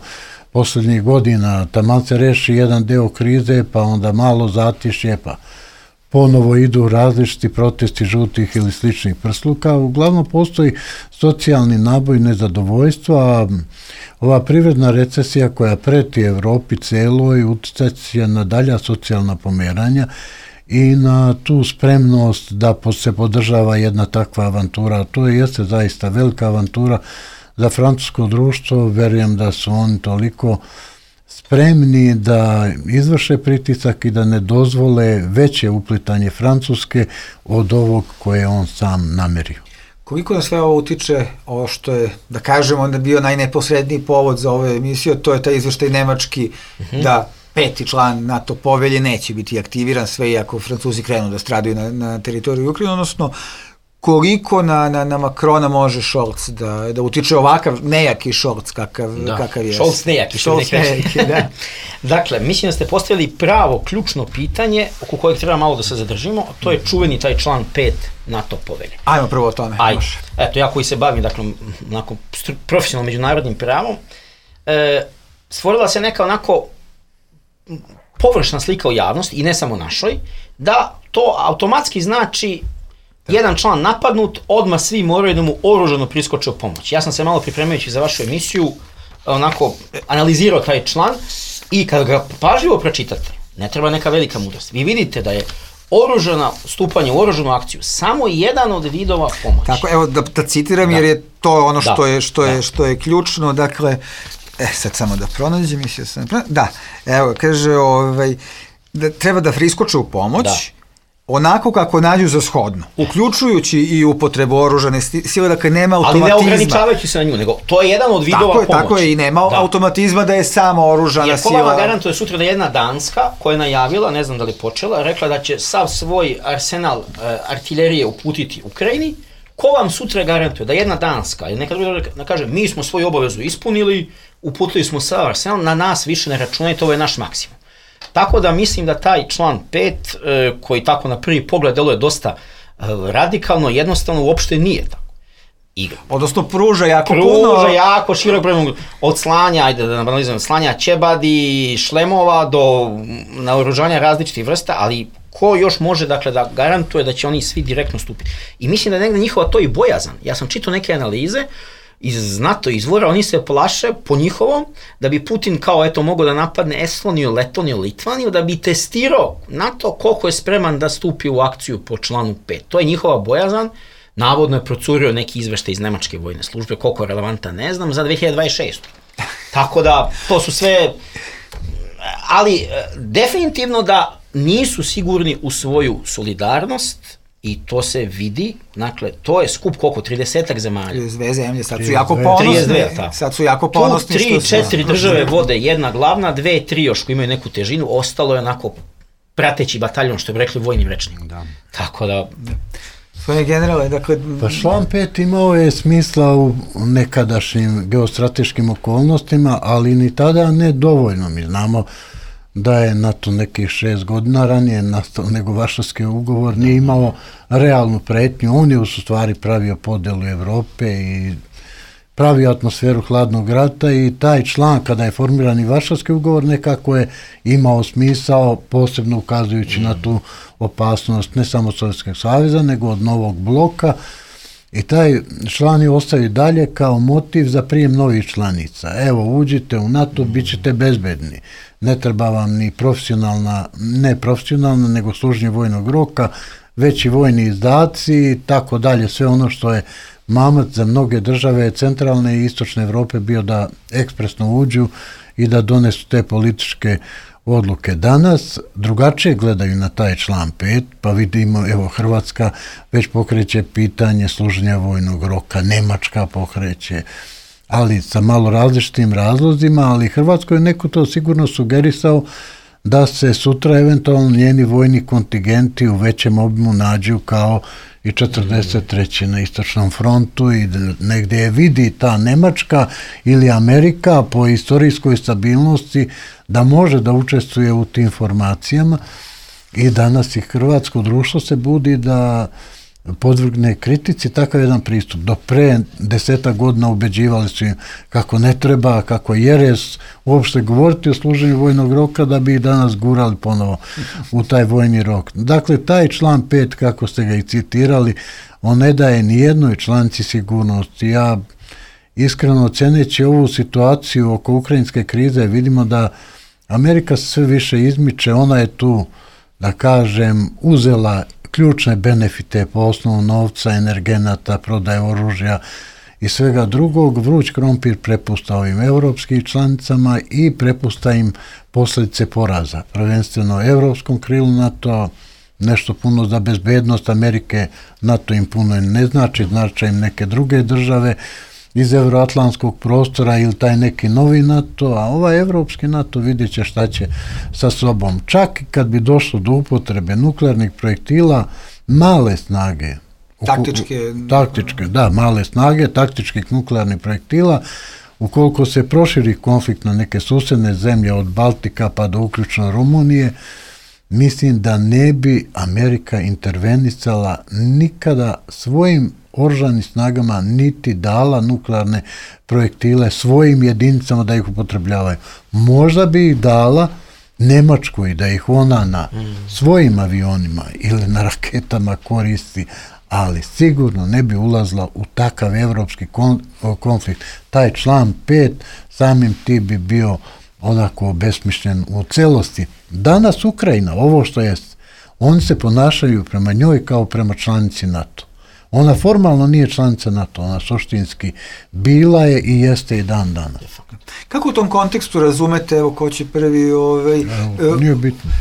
posljednjih godina, taman se reši jedan deo krize, pa onda malo zatišje, pa ponovo idu različiti protesti žutih ili sličnih prsluka. Uglavnom postoji socijalni naboj nezadovoljstva, a ova privredna recesija koja preti Evropi celoj utjecaće na dalja socijalna pomeranja i na tu spremnost da se podržava jedna takva avantura. To jeste zaista velika avantura za francusko društvo. Verujem da su oni toliko spremni da izvrše pritisak i da ne dozvole veće uplitanje Francuske od ovog koje on sam namerio. Koliko na sve ovo utiče ovo što je, da kažemo, onda bio najneposredniji povod za ovu emisiju, to je taj izveštaj nemački da 5. član NATO povelje neće biti aktiviran, sve iako Francuzi krenu da stradaju na teritoriju Ukrajine, odnosno koliko na Makrona može Scholz da utiče ovakav nejaki Scholz kakav je. Scholz nejaki, da. Dakle, mislim da ste postavili pravo ključno pitanje oko kojeg treba malo da se zadržimo, a to je čuveni taj član 5 NATO povelje. Ajmo prvo o tome. Ajde. Eto, ja koji se bavim, dakle, profesionalno međunarodnim pravom, stvorila se neka onako površna slika u javnosti, i ne samo našoj, da to automatski znači jedan član napadnut, odmah svi moraju da mu oružano priskoče u pomoć. Ja sam se malo pripremajući za vašu emisiju onako analizirao taj član i kada ga pažljivo pročitate, ne treba neka velika mudrost. Vi vidite da je stupanje u oružanu akciju samo jedan od vidova pomoći. Tako, evo da citiram, jer je to ono što je ključno, dakle, sad samo da pronađem, evo, kaže, da treba da priskoče u pomoć, onako kako nađu za shodno, uključujući i upotrebu oružane sile, dakle nema automatizma. Ali ne ograničavajući se na nju, nego to je jedan od vidova pomoći. Tako je, i nema automatizma da je sama oružana sila. Jer ko vama garantuje sutra da jedna Danska, koja je najavila, ne znam da li počela, rekla da će sav svoj arsenal artiljerije uputiti Ukrajini, ko vam sutra garantuje da jedna Danska, ili nekad da kaže, mi smo svoju obavezu ispunili, uputili smo sav arsenal, na nas više ne računajte, ovo je naš maksimum. Tako da mislim da taj član 5, koji tako na prvi pogled deluje dosta radikalno, jednostavno uopšte nije tako igra. Odnosno pruža jako širok broj od slanja, ajde da analizujem, slanja ćebadi, šlemova do naoružanja različitih vrsta, ali ko još može, dakle, da garantuje da će oni svi direktno stupiti. I mislim da je negde njihova to i bojazan. Ja sam čitao neke analize iz NATO izvora, oni se plaše po njihovom da bi Putin kao eto mogao da napadne Estoniju, Letoniju, Litvaniju, da bi testirao NATO koliko je spreman da stupi u akciju po članu 5. To je njihova bojazan. Navodno je procurio neki izveštaj iz nemačke vojne službe, koliko je relevantan ne znam, za 2026. Tako da to su sve, ali definitivno da nisu sigurni u svoju solidarnost. I to se vidi, dakle, to je skup koliko, 30-ak zemalja. 32 zemlje, sad su jako ponosni. Sad su jako ponosni. Tu 3-4 države vode, jedna glavna, 2-3 još koji imaju neku težinu, ostalo je onako prateći bataljon, što bi rekli vojnim rečnikom. Tako da... Svoje generale, dakle... Pa član 5 imao je smisla u nekadašnjim geostrateškim okolnostima, ali ni tada ne dovoljno. Mi znamo da je NATO nekih 6 godina ranije nastao nego Varšavski ugovor, nije imao realnu pretnju. On je u stvari pravio podelu Evrope i pravio atmosferu hladnog rata i taj član, kada je formiran i Varšavski ugovor, nekako je imao smisao, posebno ukazujući na tu opasnost ne samo Sovjetskog saveza, nego od novog bloka. I taj član je ostao dalje kao motiv za prijem novih članica. Evo, uđite u NATO, bit ćete bezbedni. Ne treba vam ni ne profesionalna, nego služenje vojnog roka, veći vojni izdaci i tako dalje. Sve ono što je mamac za mnoge države centralne i istočne Evrope bio da ekspresno uđu i da donesu te političke odluke. Danas drugačije gledaju na taj član 5, pa vidimo, evo, Hrvatska već pokreće pitanje služenja vojnog roka, Nemačka pokreće, ali sa malo različitim razlozima, ali Hrvatskoj je neko to sigurno sugerisao da se sutra eventualno njeni vojni kontingenti u većem obimu nađu kao i 43. na istočnom frontu i negdje je vidi ta Nemačka ili Amerika po istorijskoj stabilnosti da može da učestvuje u tim formacijama i danas i hrvatsko društvo se budi da podvrgne kritici takav jedan pristup. Do pre 10 godina ubeđivali su im kako ne treba, kako jeres uopšte govoriti o služenju vojnog roka da bi ih danas gurali ponovo u taj vojni rok. Dakle, taj član 5, kako ste ga i citirali, on ne daje ni jednoj članici sigurnosti. Ja iskreno ceneći ovu situaciju oko ukrajinske krize vidimo da Amerika se sve više izmiče, ona je tu, da kažem, uzela ključne benefite po osnovu novca, energenata, prodaje oružja i svega drugog. Vruć krompir prepušta ovim evropskim članicama i prepušta im posljedice poraza. Prvenstveno evropskom krilu NATO, nešto puno za bezbednost Amerike, NATO im puno ne znači, znači im neke druge države iz euroatlantskog prostora ili taj neki novi NATO, a ovaj evropski NATO vidjet će šta će sa sobom. Čak i kad bi došlo do upotrebe nuklearnih projektila, male snage, taktičke, da, male snage, taktičkih nuklearnih projektila, ukoliko se proširi konflikt na neke susedne zemlje od Baltika pa do uključno Rumunije, mislim da ne bi Amerika intervenisala nikada svojim oružanim snagama niti dala nuklearne projektile svojim jedinicama da ih upotrebljavaju. Možda bi ih dala Nemačkoj da ih ona na svojim avionima ili na raketama koristi, ali sigurno ne bi ulazila u takav evropski konflikt. Taj član 5 samim ti bi bio onako besmišljen u celosti. Danas Ukrajina, ovo što jest, oni se ponašaju prema njoj kao prema članici NATO. Ona formalno nije članica NATO, ona suštinski bila je i jeste i dan danas. Kako u tom kontekstu razumete, evo ko će prvi... Nije bitno.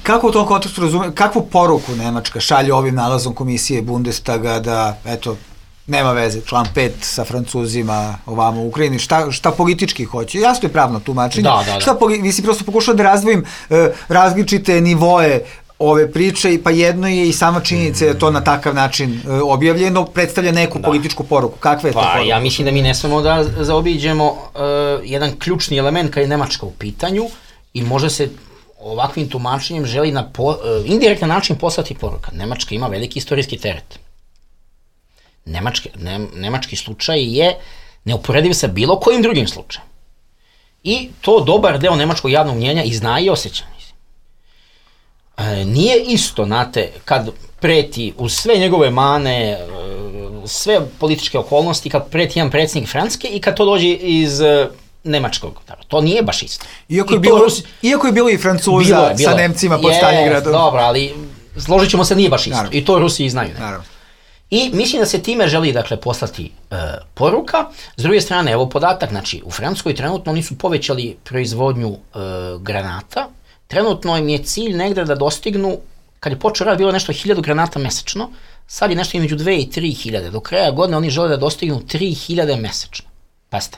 Kako u tom kontekstu razumete, kakvu poruku Nemačka šalje ovim nalazom komisije Bundestaga da, eto, nema veze, član 5 sa Francuzima, ovamo u Ukrajini, šta politički hoće? Jasno je pravno tumačenje. Da. Vi si prosto pokušao da razdvojim različite nivoe ove priče, pa jedno je i sama činjenica da to na takav način objavljeno, predstavlja neku političku poruku. Kakva je to poruka? Ja mislim da mi ne smemo da zaobiđemo jedan ključni element kad je Nemačka u pitanju i može se ovakvim tumačenjem želi na indirektan način poslati poruka. Nemačka ima veliki istorijski teret. Nemački slučaj je neuporediv sa bilo kojim drugim slučajem. I to dobar deo nemačkog javnog mnjenja i zna i osjeća. Nije isto, znate, kad preti uz sve njegove mane, sve političke okolnosti, kad preti jedan predsjednik Francuske i kad to dođe iz nemačkog. To nije baš isto. Iako je bilo i Francuza sa Nemcima pod Staljingradom. Dobro, ali složit ćemo se, nije baš isto. I to Rusi znaju. I mislim da se time želi, dakle, poslati poruka. S druge strane, evo podatak, znači, u Francuskoj trenutno oni su povećali proizvodnju granata. Trenutno im je cilj negde da dostignu, kad je počeo rad, bilo nešto 1000 granata mesečno, sad je nešto između 2 i 3000. Do kraja godine oni žele da dostignu 3000 mesečno. Pazite.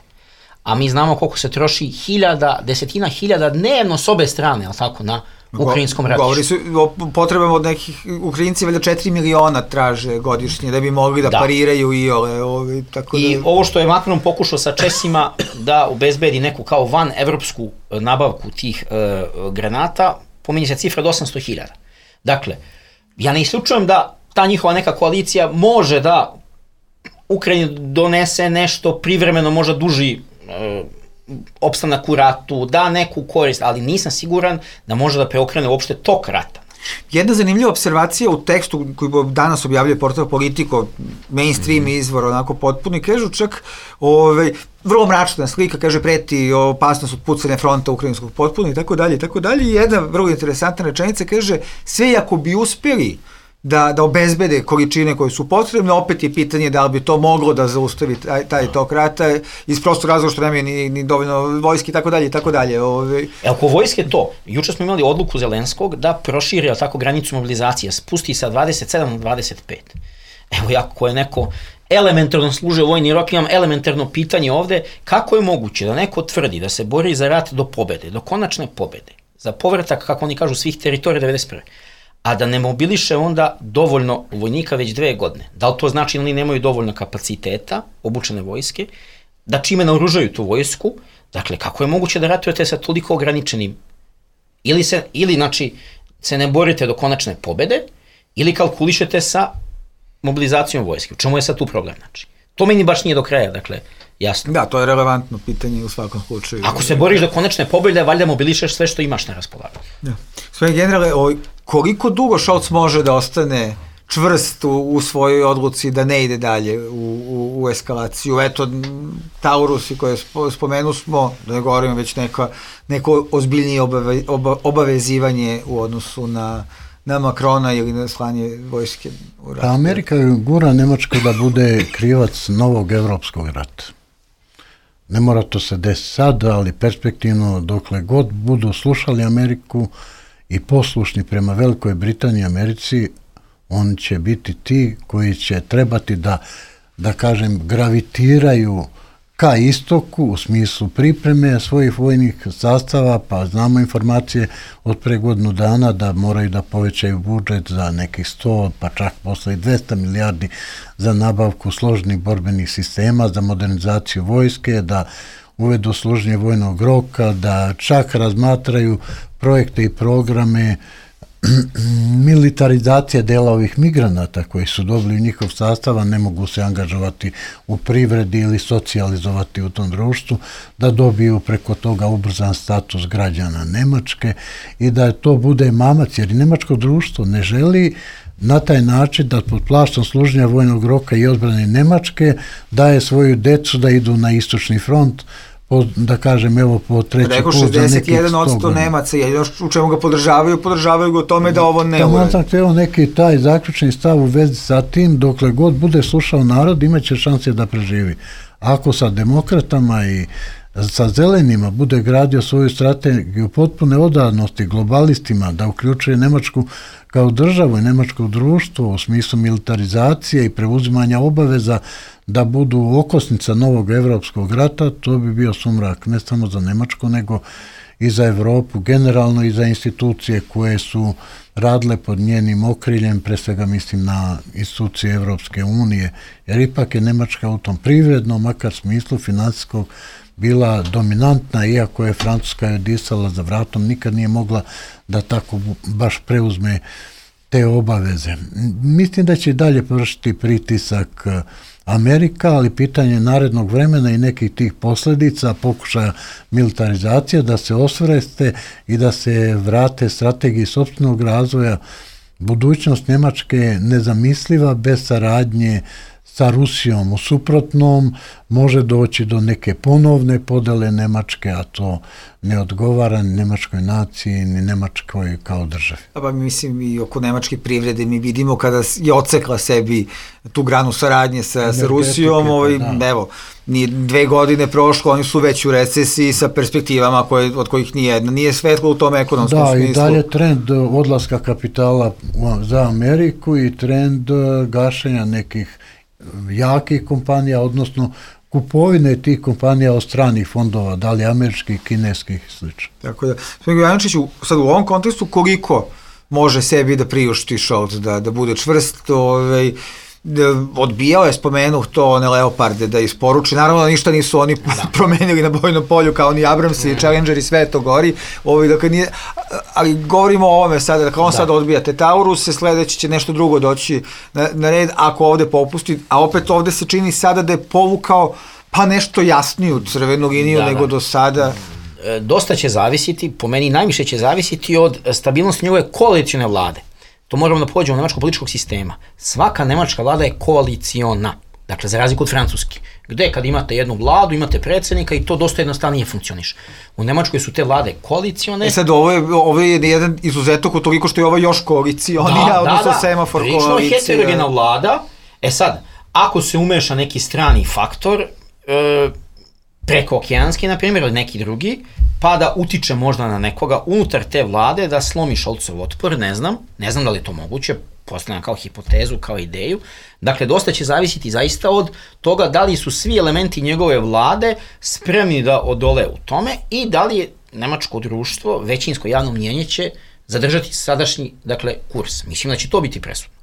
A mi znamo koliko se troši desetina hiljada dnevno s obe strane, ali tako, na ukrajinskom ratištu. Govori su o potrebama od nekih Ukrajinci, valjda 4 miliona traže godišnje da bi mogli da pariraju i ove. I ovo što je Macron pokušao sa Česima da obezbedi neku kao van evropsku nabavku tih granata, pominje se cifra od 800.000. Dakle, ja ne isključujem da ta njihova neka koalicija može da Ukrajini donese nešto privremeno, možda duži opstanak u ratu, da neku korist, ali nisam siguran da može da preokrene uopšte tok rata. Jedna zanimljiva observacija u tekstu koji danas objavljuje portal Politico, mainstream izvor, onako potpuni, kažu čak vrlo mračna slika, kaže preti opasnost od pucanja fronta ukrajinskog potpuno i tako dalje. I jedna vrlo interesantna rečenica kaže, sve ako bi uspjeli da obezbede količine koje su potrebne, opet je pitanje da li bi to moglo da zaustavi taj tok rata iz prostog razloga što nema ni dovoljno vojske i tako dalje. Oko vojske to. Juče smo imali odluku Zelenskog da proširi tako granicu mobilizacije, spusti sa 27 na 25. Evo ja, ko je neko elementarno služe vojni rok, imam elementarno pitanje ovde, kako je moguće da neko tvrdi da se bori za rat do pobede, do konačne pobede, za povratak, kako oni kažu, svih teritorija 91. a da ne mobiliše onda dovoljno vojnika već 2 godine. Da li to znači da oni nemaju dovoljno kapaciteta, obučene vojske, da čime naoružaju tu vojsku, dakle, kako je moguće da ratujete sa toliko ograničenim, ili znači, se ne borite do konačne pobede, ili kalkulišete sa mobilizacijom vojske. U čemu je sad tu problem, znači? To meni baš nije do kraja, dakle, jasno. Da, to je relevantno pitanje u svakom slučaju. Ako se boriš do konačne pobjede, valjda mobilišeš sve što imaš na raspolaganju. Da. Gospodine generale, koliko dugo Scholz može da ostane čvrst u svojoj odluci da ne ide dalje u eskalaciju? Eto, Taurusi koje spomenu smo, da ne govorimo već neko ozbiljnije obavezivanje u odnosu na Macrona ili na slanje vojske u ratu. Amerika gura Nemačku da bude krivac novog evropskog rata. Ne mora to se desiti sad, ali perspektivno dokle god budu slušali Ameriku i poslušni prema Velikoj Britaniji i Americi, oni će biti ti koji će trebati da kažem, gravitiraju ka istoku u smislu pripreme svojih vojnih sastava, pa znamo informacije od pre godinu dana da moraju da povećaju budžet za nekih 100, pa čak posle i 200 milijardi za nabavku složenih borbenih sistema, za modernizaciju vojske, da uvedu služenje vojnog roka, da čak razmatraju projekte i programe militarizacija dela ovih migranata koji su dobili u njihov sastav, a ne mogu se angažovati u privredi ili socijalizovati u tom društvu, da dobiju preko toga ubrzan status građana Nemačke i da to bude mamac, jer i nemačko društvo ne želi na taj način da pod plaštom služenja vojnog roka i odbrane Nemačke daje svoju decu da idu na istočni front, da kažem, evo po treći put za nekih 100 godina. Nemaca, u čemu ga podržavaju ga o tome da ovo ne uradi. Evo neki taj zaključni stav u vezi sa tim, dokle god bude slušao narod, imaće šanse da preživi. Ako sa demokratama i sa zelenima bude gradio svoju strategiju potpune odanosti globalistima, da uključuje Nemačku kao državu i nemačko društvo u smislu militarizacije i preuzimanja obaveza da budu okosnica novog evropskog rata, to bi bio sumrak ne samo za Nemačku, nego i za Evropu, generalno i za institucije koje su radile pod njenim okriljem, pre svega mislim na institucije Evropske unije, jer ipak je Nemačka u tom privrednom, makar smislu finansijskog, bila dominantna, iako je Francuska joj disala za vratom, nikad nije mogla da tako baš preuzme te obaveze. Mislim da će dalje vršiti pritisak Amerika, ali pitanje narednog vremena i nekih tih posljedica, pokušaja militarizacije, da se osvreste i da se vrate strategiji sopstvenog razvoja. Budućnost Nemačke je nezamisliva bez saradnje sa Rusijom. U suprotnom može doći do neke ponovne podele Nemačke, a to ne odgovara ni nemačkoj naciji, ni Nemačkoj kao državi. Pa mislim i oko nemačke privrede mi vidimo kada je odsekla sebi tu granu saradnje sa Rusijom, evo, nije 2 godine prošlo, oni su već u recesiji sa perspektivama od kojih nijedna nije svetlo u tom ekonomskom smislu. Da, i dalje trend odlaska kapitala za Ameriku i trend gašenja nekih jakih kompanija, odnosno kupovine tih kompanija od stranih fondova, da li američkih, kineskih i sl. Tako da, gospodin Jovanoviću, sad u ovom kontekstu koliko može sebi da priušti Scholz, da bude čvrst, odbijao je, spomenuh to, one Leoparde da isporuči, naravno da ništa nisu oni promenili na bojnom polju kao oni Abramsi, Challengeri, sve to gori, ali govorimo o ovome sada, dakle on sad odbija te Tauruse, sledeći će nešto drugo doći na red ako ovde popusti, a opet ovde se čini sada da je povukao pa nešto jasniju crvenu liniju nego do sada. Dosta će zavisiti, po meni najviše će zavisiti od stabilnosti njegove koalicione vlade. To moramo da pođemo od nemačkog političkog sistema. Svaka nemačka vlada je koaliciona, dakle za razliku od francuski, gde kad imate jednu vladu, imate predsjednika i to dosta jednostavnije funkcioniše. U Nemačkoj su te vlade koalicione. Sad ovo je jedan izuzetok u toliko što je ovo još koalicionija, odnosno semafor koalicija. Prilično je heterogena vlada. Sad, ako se umeša neki strani faktor, prekookeanski, na primjer, ili neki drugi, pa da utiče možda na nekoga unutar te vlade da slomi Scholzov otpor, ne znam da li je to moguće, postavljam kao hipotezu, kao ideju. Dakle, dosta će zavisiti zaista od toga da li su svi elementi njegove vlade spremni da odole u tome i da li je nemačko društvo, većinsko javno mnjenje će zadržati sadašnji, dakle, kurs. Mislim da će to biti presudno.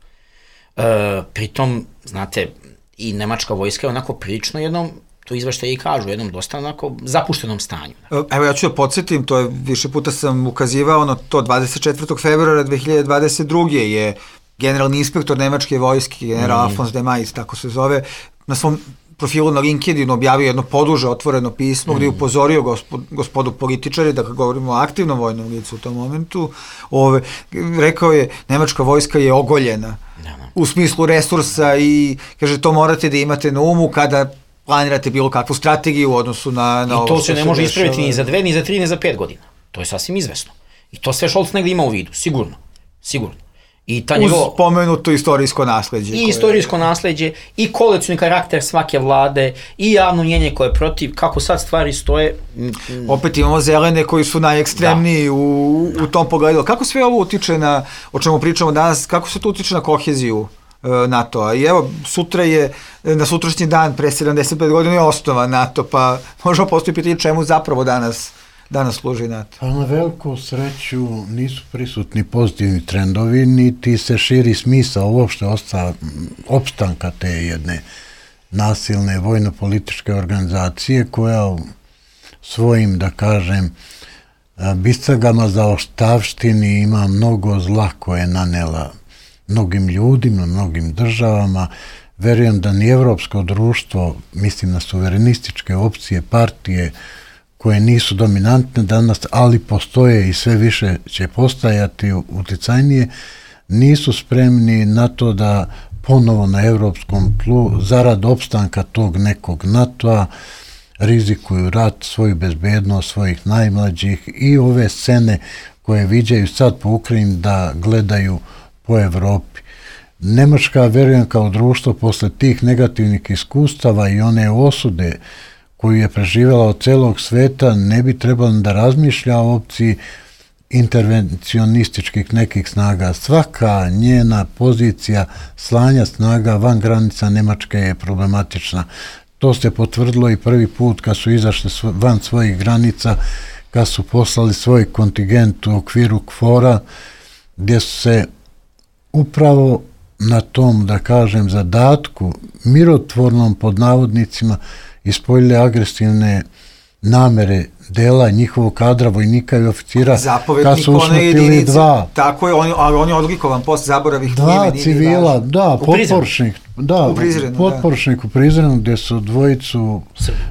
Pritom, znate, i nemačka vojska je onako prilično jednom, to izveštaje i kažu, u jednom dosta onako zapuštenom stanju. Evo ja ću da podsjetim, to je više puta sam ukazivao na to, 24. februara 2022. je generalni inspektor nemačke vojske, general Alfons de Mais, tako se zove, na svom profilu na LinkedInu objavio jedno poduže otvoreno pismo gdje je upozorio gospodu političari, da govorimo o aktivnom vojnom licu u tom momentu, rekao je, nemačka vojska je ogoljena u smislu resursa i kaže to morate da imate na umu kada planirate bilo kakvu strategiju u odnosu na ovo. I to se ne može ispraviti ni za 2, ni za 3, ni za 5 godina. To je sasvim izvesno. I to sve Scholz negdje ima u vidu, sigurno. I ta uz pomenuto istorijsko nasleđe. I istorijsko nasleđe, i koalicioni karakter svake vlade, i javno mnjenje koje je protiv, kako sad stvari stoje. Opet imamo zelene koji su najekstremniji u tom pogledu. Kako sve ovo utiče na, o čemu pričamo danas, kako se to utiče na koheziju NATO-a? I evo, na sutrašnji dan, pre 75 godina je osnovan NATO, pa možemo postoji pitanje čemu zapravo danas služi NATO. Pa na veliku sreću nisu prisutni pozitivni trendovi, niti se širi smisao uopšte opstanka te jedne nasilne vojno-političke organizacije koja svojim, da kažem, bicagama za oštavštini ima mnogo zla koje je nanela mnogim ljudima, mnogim državama. Verujem da ni evropsko društvo, mislim na suverenističke opcije, partije, koje nisu dominantne danas, ali postoje i sve više će postajati uticajnije, nisu spremni na to da ponovo na evropskom tlu, zarad opstanka tog nekog NATO-a, rizikuju rat, svoju bezbednost, svojih najmlađih i ove scene koje viđaju sad po Ukrajini da gledaju po Evropi. Nemačka, verujem, kao društvo posle tih negativnih iskustava i one osude koju je preživjela od celog sveta, ne bi trebalo da razmišlja o opciji intervencionističkih nekih snaga. Svaka njena pozicija slanja snaga van granica Nemačke je problematična. To se potvrdilo i prvi put kad su izašli van svojih granica, kad su poslali svoj kontingent u okviru KFOR-a, gdje su se upravo na tom, da kažem, zadatku, mirotvornom pod navodnicima, ispoljile agresivne namere dela njihovog kadra, vojnika i oficira, kad su usmrtili dva. Tako je, ali on je odlikovan posle zaboravih dva civila, potporučnik u Prizrenu, gdje su dvojicu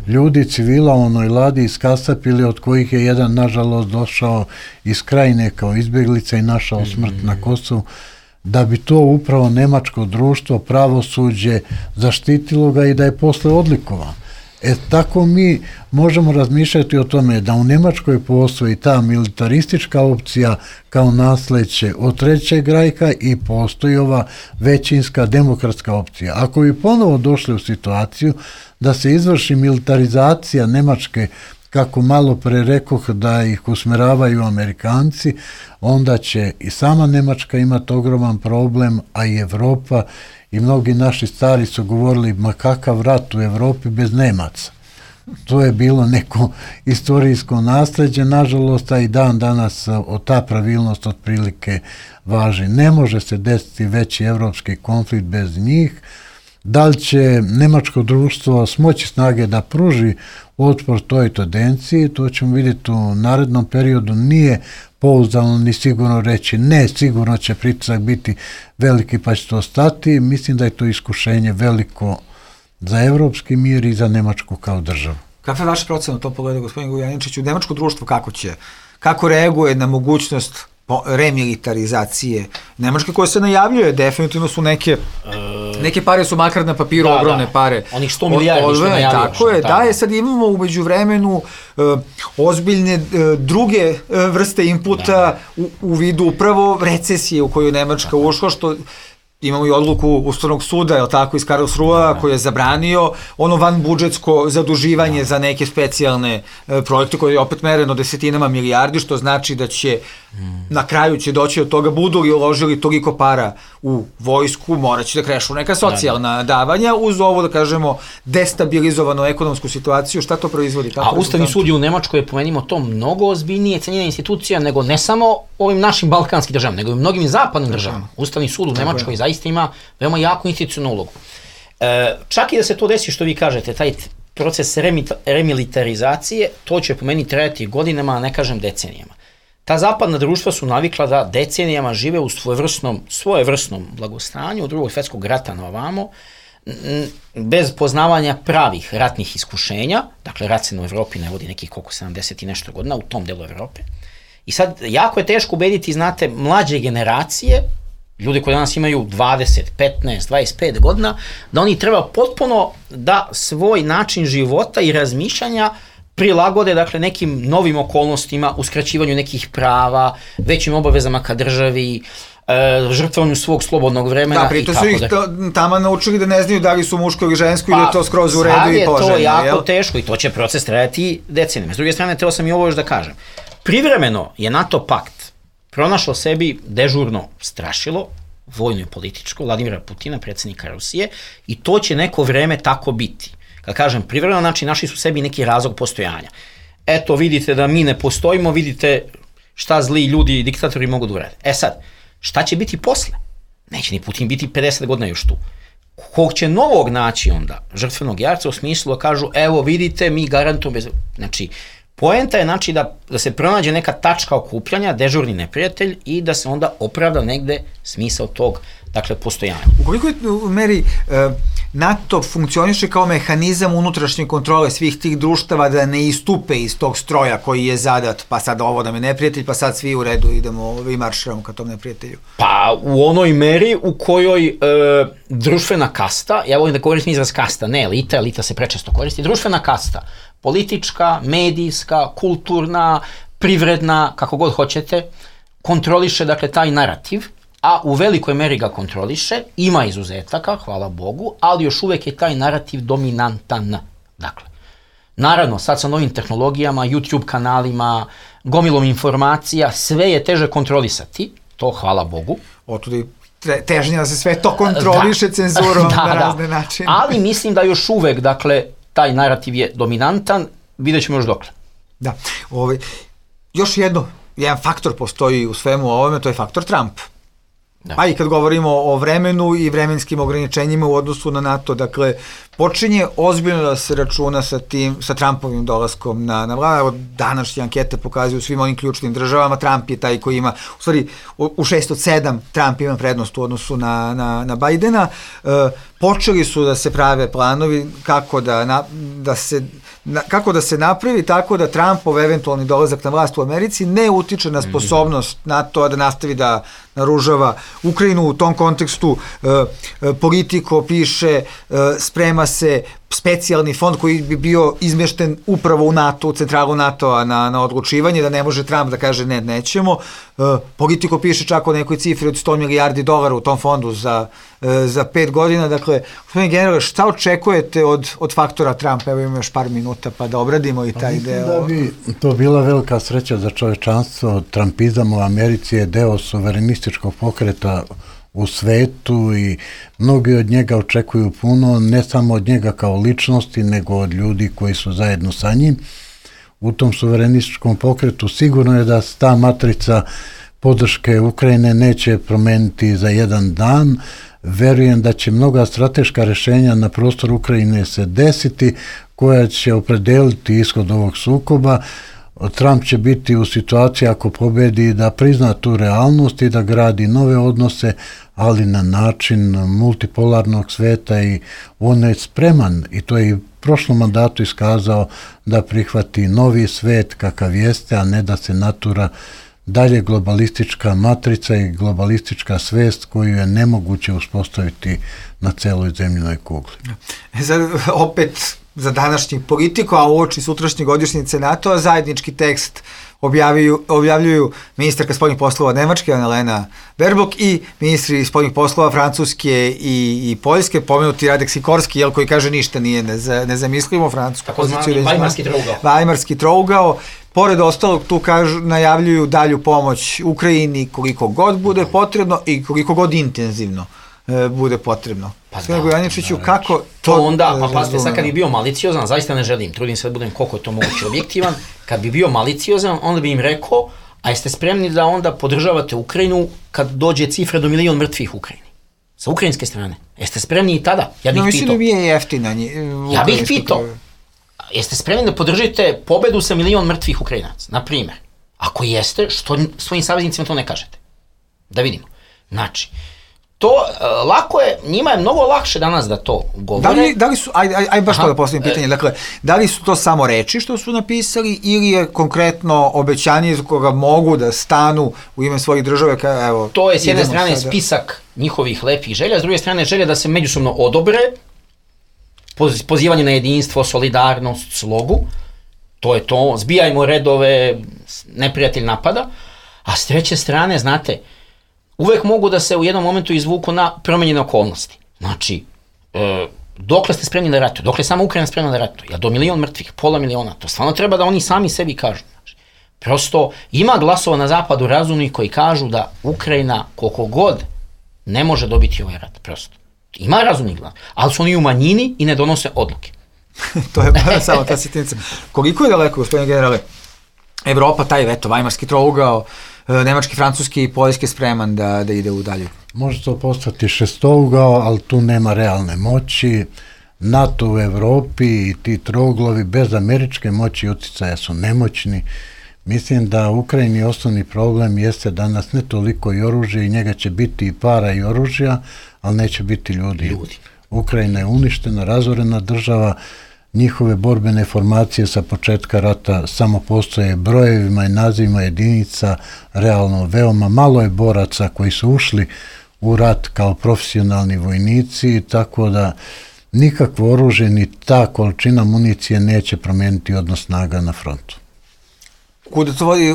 ljudi civila u onoj ladi iskasapili, od kojih je jedan, nažalost, došao iz Krajine kao izbjeglica i našao smrt na Kosovu, da bi to upravo nemačko društvo, pravosuđe zaštitilo ga i da je posle odlikovan. Tako mi možemo razmišljati o tome da u Nemačkoj postoji ta militaristička opcija kao nasleđe od Trećeg rajka i postoji ova većinska demokratska opcija. Ako bi ponovo došli u situaciju da se izvrši militarizacija Nemačke, kako malo pre rekoh da ih usmeravaju Amerikanci, onda će i sama Nemačka imati ogroman problem, a i Evropa, i mnogi naši stari su govorili, ma kakav rat u Evropi bez Nemaca. To je bilo neko istorijsko nasleđe, nažalost, a i dan danas ta pravilnost otprilike važi. Ne može se desiti veći evropski konflikt bez njih. Da li će nemačko društvo smoći snage da pruži otpor toj tendenciji, to ćemo vidjeti u narednom periodu. Nije pouzdano ni sigurno reći ne, sigurno će pritisak biti veliki pa će to stati. Mislim da je to iskušenje veliko za evropski mir i za Nemačku kao državu. Kakva je vaša procena u tom pogledu, gospodin Gujaničić, u nemačko društvo kako reaguje na mogućnost remilitarizacije Nemačke, koje se najavljuje, definitivno su neke pare su makar na papiru, ogromne pare. Onih 100 milijardi što najavljaju. Tako je, da je, sad imamo u međuvremenu ozbiljne druge vrste inputa u vidu upravo recesije u koju Nemačka ušla, što imamo i odluku Ustavnog suda, je li tako, iz Karlsruha, koji je zabranio ono vanbudžetsko zaduživanje za neke specijalne projekte koje je opet mereno desetinama milijardi, što znači da će na kraju će doći od toga, budu li uložili toliko para u vojsku, morat će da krešu neka socijalna davanja uz ovo, da kažemo, destabilizovanu ekonomsku situaciju. Šta to proizvodi? A Ustavni sud u Nemačkoj je, pomenimo to, mnogo ozbiljnije cenjena institucija nego ne samo ovim našim balkanskim državama, nego i mnogim zapadnim državama. Ustavni sud u Nemačkoj zaista ima veoma jaku institucionalnu ulogu. Čak i da se to desi, što vi kažete, taj proces remilitarizacije, to će po meni trajati godinama, a ne kažem decenijama. Ta zapadna društva su navikla da decenijama žive u svojevrsnom blagostanju od Drugog svjetskog rata na ovamo, bez poznavanja pravih ratnih iskušenja. Dakle, rat se u Evropi ne vodi nekih koliko 70 i nešto godina u tom delu Evrope. I sad, jako je teško ubediti, znate, mlađe generacije, ljudi koji danas imaju 20, 15, 25 godina, da oni treba potpuno da svoj način života i razmišljanja prilagode, dakle, nekim novim okolnostima, uskraćivanju nekih prava, većim obavezama ka državi, žrtvovanju svog slobodnog vremena i tako da. Da, pritom su ih tamo naučili da ne znaju da li su muško ili žensko i da je to skroz u redu i poželjno. Sad je to jako teško i to će proces trajati decenijama. S druge strane, teo sam i ovo još da kažem. Privremeno je NATO pakt pronašlo sebi dežurno strašilo, vojno i političko, Vladimira Putina, predsjednika Rusije, i to će neko vreme tako biti. Kad kažem privremeno, znači našli su sebi neki razlog postojanja. Eto, vidite da mi ne postojimo, vidite šta zli ljudi i diktatori mogu da urade. Sad, šta će biti posle? Neće ni Putin biti 50 godina još tu. Kog će novog naći onda žrtvenog jarca u smislu da kažu, evo vidite, mi garantujemo bez... Znači, poenta je znači da se pronađe neka tačka okupljanja, dežurni neprijatelj i da se onda opravda negde smisao tog, dakle, postojanja. U koliko meri NATO funkcioniše kao mehanizam unutrašnje kontrole svih tih društava da ne istupe iz tog stroja koji je zadat, pa sad ovo nam je neprijatelj, pa sad svi u redu idemo i marširamo ka tom neprijatelju? Pa u onoj meri u kojoj društvena kasta, ja volim da koristim izraz kasta, ne elita, elita se prečesto koristi, društvena kasta, politička, medijska, kulturna, privredna, kako god hoćete, kontroliše, dakle, taj narativ, a u velikoj meri ga kontroliše, ima izuzetaka, hvala Bogu, ali još uvek je taj narativ dominantan. Dakle, naravno, sad sa novim tehnologijama, YouTube kanalima, gomilom informacija, sve je teže kontrolisati, to hvala Bogu. Otud i težnje da se sve to kontroliše cenzurom na razne načine. Ali mislim da još uvek, dakle, taj narativ je dominantan, vidjet ćemo još dokle. Da, još jedan faktor postoji u svemu ovome, to je faktor Trump. Da. Pa i kad govorimo o vremenu i vremenskim ograničenjima u odnosu na NATO, dakle, počinje ozbiljno da se računa sa Trumpovim dolaskom na vladu. Današnje ankete pokazuju svim onim ključnim državama, Trump je taj koji ima, u stvari, u 6 od 7 Trump ima prednost u odnosu na Bidena. Počeli su da se prave planovi kako da se napravi tako da Trumpov eventualni dolazak na vlast u Americi ne utiče na sposobnost NATO-a da nastavi da naružava Ukrajinu. U tom kontekstu Politico piše, sprema se specijalni fond koji bi bio izmešten upravo u NATO, u centralu NATO-a na odlučivanje, da ne može Trump da kaže ne, nećemo. Politico piše čak o nekoj cifri od $100 milijardi u tom fondu za 5 godina. Dakle, gospodine generale, šta očekujete od faktora Trump? Evo imamo još par minuta pa da obradimo i taj deo. Mislim da bi to bila velika sreća za čovečanstvo. Trumpizam u Americi je deo suverenističkog pokreta u svetu i mnogi od njega očekuju puno, ne samo od njega kao ličnosti, nego od ljudi koji su zajedno sa njim. U tom suverenističkom pokretu sigurno je da ta matrica podrške Ukrajine neće promeniti za jedan dan. Verujem da će mnoga strateška rešenja na prostoru Ukrajine se desiti, koja će opredeliti ishod ovog sukoba. Trump će biti u situaciji, ako pobedi, da prizna tu realnost i da gradi nove odnose, ali na način multipolarnog sveta, i on je spreman, i to je i u prošlom mandatu iskazao, da prihvati novi svet kakav jeste, a ne da se natura dalje globalistička matrica i globalistička svest koju je nemoguće uspostaviti na celoj zemljinoj kugli. Sad, opet za današnjih Politico, a uoči sutrašnje godišnjice NATO-a, zajednički tekst objavljuju ministarka spoljnih poslova Nemačke, Annalena Baerbock, i ministri spoljnih poslova Francuske i Poljske, pomenuti Radek Sikorski, koji kaže ništa nije nezamislivo, francusku poziciju. Vajmarski trougao. Pored ostalog, tu najavljuju dalju pomoć Ukrajini koliko god bude potrebno i koliko god intenzivno bude potrebno. Sve Gojaničiću, kako to onda, pa pazite, sad kad bi bio maliciozan, zaista ne želim, trudim se da budem koliko je to moguće objektivan, kad bi bio maliciozan, onda bi im rekao, a jeste spremni da onda podržavate Ukrajinu kad dođe cifra do 1 milion mrtvih u Ukrajini? Sa ukrajinske strane. Jeste spremni i tada? Ja bih pitao. Mislim da bi je jeftina. Ja bih pitao. Jeste spremni da podržite pobedu sa 1 milion mrtvih Ukrajinaca, na primjer? Ako jeste, što svojim saveznicima to ne kažete? Da vidimo. Znači, to lako je, njima je mnogo lakše danas da to govore. Da li su, aj baš to da postavim pitanje, dakle, da li su to samo reči što su napisali ili je konkretno obećanje iz koga mogu da stanu u ime svojih države? Evo, to je s jedne strane spisak njihovih lepih želja, s druge strane želja da se međusobno odobre, pozivanje na jedinstvo, solidarnost, slogu, to je to, zbijajmo redove, neprijatelj napada, a s treće strane, znate, uvek mogu da se u jednom momentu izvuku na promenjene okolnosti. Znači, dokle ste spremni da ratuju, dokle je sama Ukrajina spremna da ratuje, do 1 milion mrtvih, pola miliona, to stvarno treba da oni sami sebi kažu. Znači, prosto ima glasova na zapadu razumnih koji kažu da Ukrajina koliko god ne može dobiti ovaj rat, prosto. Ima razumnih glas, ali su oni u manjini i ne donose odluke. To je samo ta sitnica. Koliko je daleko, gospodine generale, Evropa, taj Vajmarski trougao, nemački, francuski i poljski spreman da ide u dalju? Može to postati šestougao, ali tu nema realne moći. NATO u Evropi i ti trouglovi bez američke moći i uticaja su nemoćni. Mislim da u Ukrajini osnovni problem jeste danas ne toliko i oružje, i njega će biti i para i oružja, ali neće biti ljudi. Ukrajina je uništena, razorena država, njihove borbene formacije sa početka rata samo postoje brojevima i nazivima jedinica, realno veoma malo je boraca koji su ušli u rat kao profesionalni vojnici, tako da nikakvo oružje ni ta količina municije neće promijeniti odnos snaga na frontu. Kuda to vodi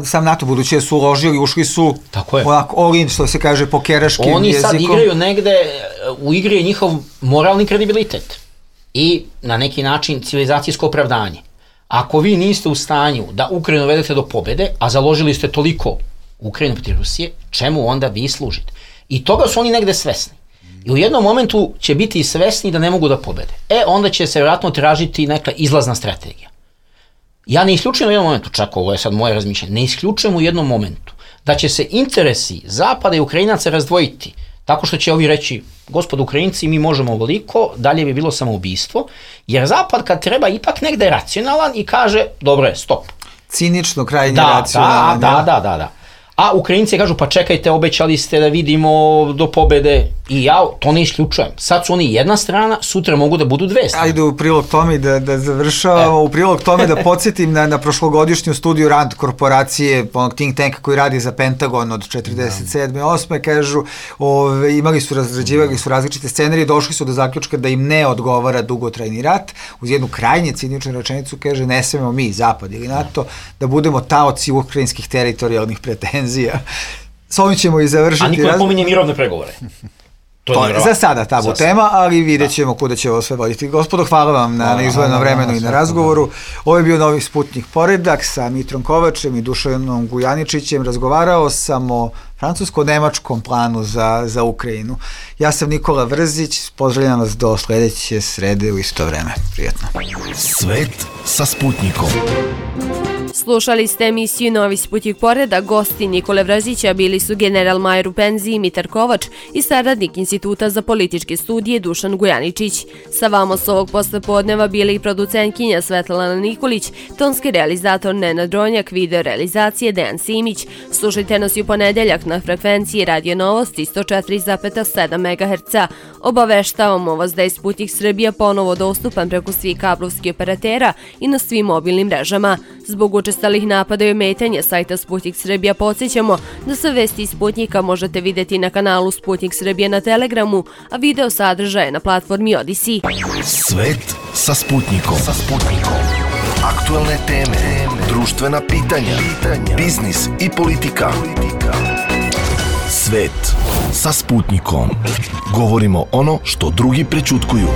sam NATO, budući da su uložili, ušli su onako all-in, što se kaže, pokeraškim jezikom. Oni sad igraju negde, u igri je njihov moralni kredibilitet i na neki način civilizacijsko opravdanje. Ako vi niste u stanju da Ukrajinu vedete do pobede, a založili ste toliko Ukrajinu protiv Rusije, čemu onda vi služite? I toga su oni negde svesni. I u jednom momentu će biti svesni da ne mogu da pobede. Onda će se vjerojatno tražiti neka izlazna strategija. Ja ne isključujem u jednom momentu, čak ovo je sad moje razmišljanje, ne isključujem u jednom momentu da će se interesi Zapada i Ukrajinaca razdvojiti tako što će ovi reći, gospodo Ukrajinci, mi možemo ovoliko, dalje bi bilo samoubistvo, jer Zapad kad treba ipak negde racionalan i kaže, dobro je, stop. Cinično, krajnje racionalan. Da. A Ukrajinci kažu, pa čekajte, obećali ste da vidimo do pobede, i ja to ne isključujem. Sad su oni jedna strana, sutra mogu da budu dve strane. Ajde u prilog tome da završavamo, u prilog tome da podsjetim na prošlogodišnju studiju RAND korporacije, onog think tanka koji radi za Pentagon od 47. 8. kažu, razrađivali su različite scenarije, došli su do zaključka da im ne odgovara dugotrajni rat, uz jednu krajnje ciničnu rečenicu kaže, ne smemo mi, Zapad ili NATO, da budemo taoci ukrajinskih teritorijalnih pretenzija. S ovim ćemo i završiti. A niko ne pominje mirovne pregovore. To je za sada tabu tema, ali vidjet ćemo kuda će ovo sve voditi. Gospodo, hvala vam na izdvojenom vremenu i na razgovoru. Ovo je bio Novi Sputnik poredak sa Mitrom Kovačem i Dušanom Gujaničićem. Razgovarao sam o francusko-nemačkom planu za Ukrajinu. Ja sam Nikola Vrzić, pozdravljam vas do sledeće srede u isto vreme. Prijetno. Svet sa Sputnikom. Slušali ste emisiju Novi Sputnik poredak. Gosti Nikole Vrzića bili su general-major u penziji Mitar Kovač i saradnik Instituta za političke studije Dušan Gujaničić. Sa vama s ovog poslepodneva bili i producentkinja Svetlana Nikolić, tonski realizator Nenad Dronjak, video realizacije Dejan Simić. Slušajte nas i u ponedeljak na frekvenciji Radio Novosti 104,7 MHz. Obaveštavamo vas da je Sputnik Srbija ponovo dostupan preko svih kablovskih operatera i na svim mobilnim mrežama. Zbog učestalih napada i ometanja sajta Sputnik Srbija podsjećamo da sve vesti iz Sputnika možete vidjeti na kanalu Sputnik Srbija na Telegramu, a video sadržaje na platformi Odyssey. Svet sa Sputnikom. Aktualne teme, društvena pitanja, biznis i politika. Svet sa Sputnikom. Govorimo ono što drugi prećutkuju.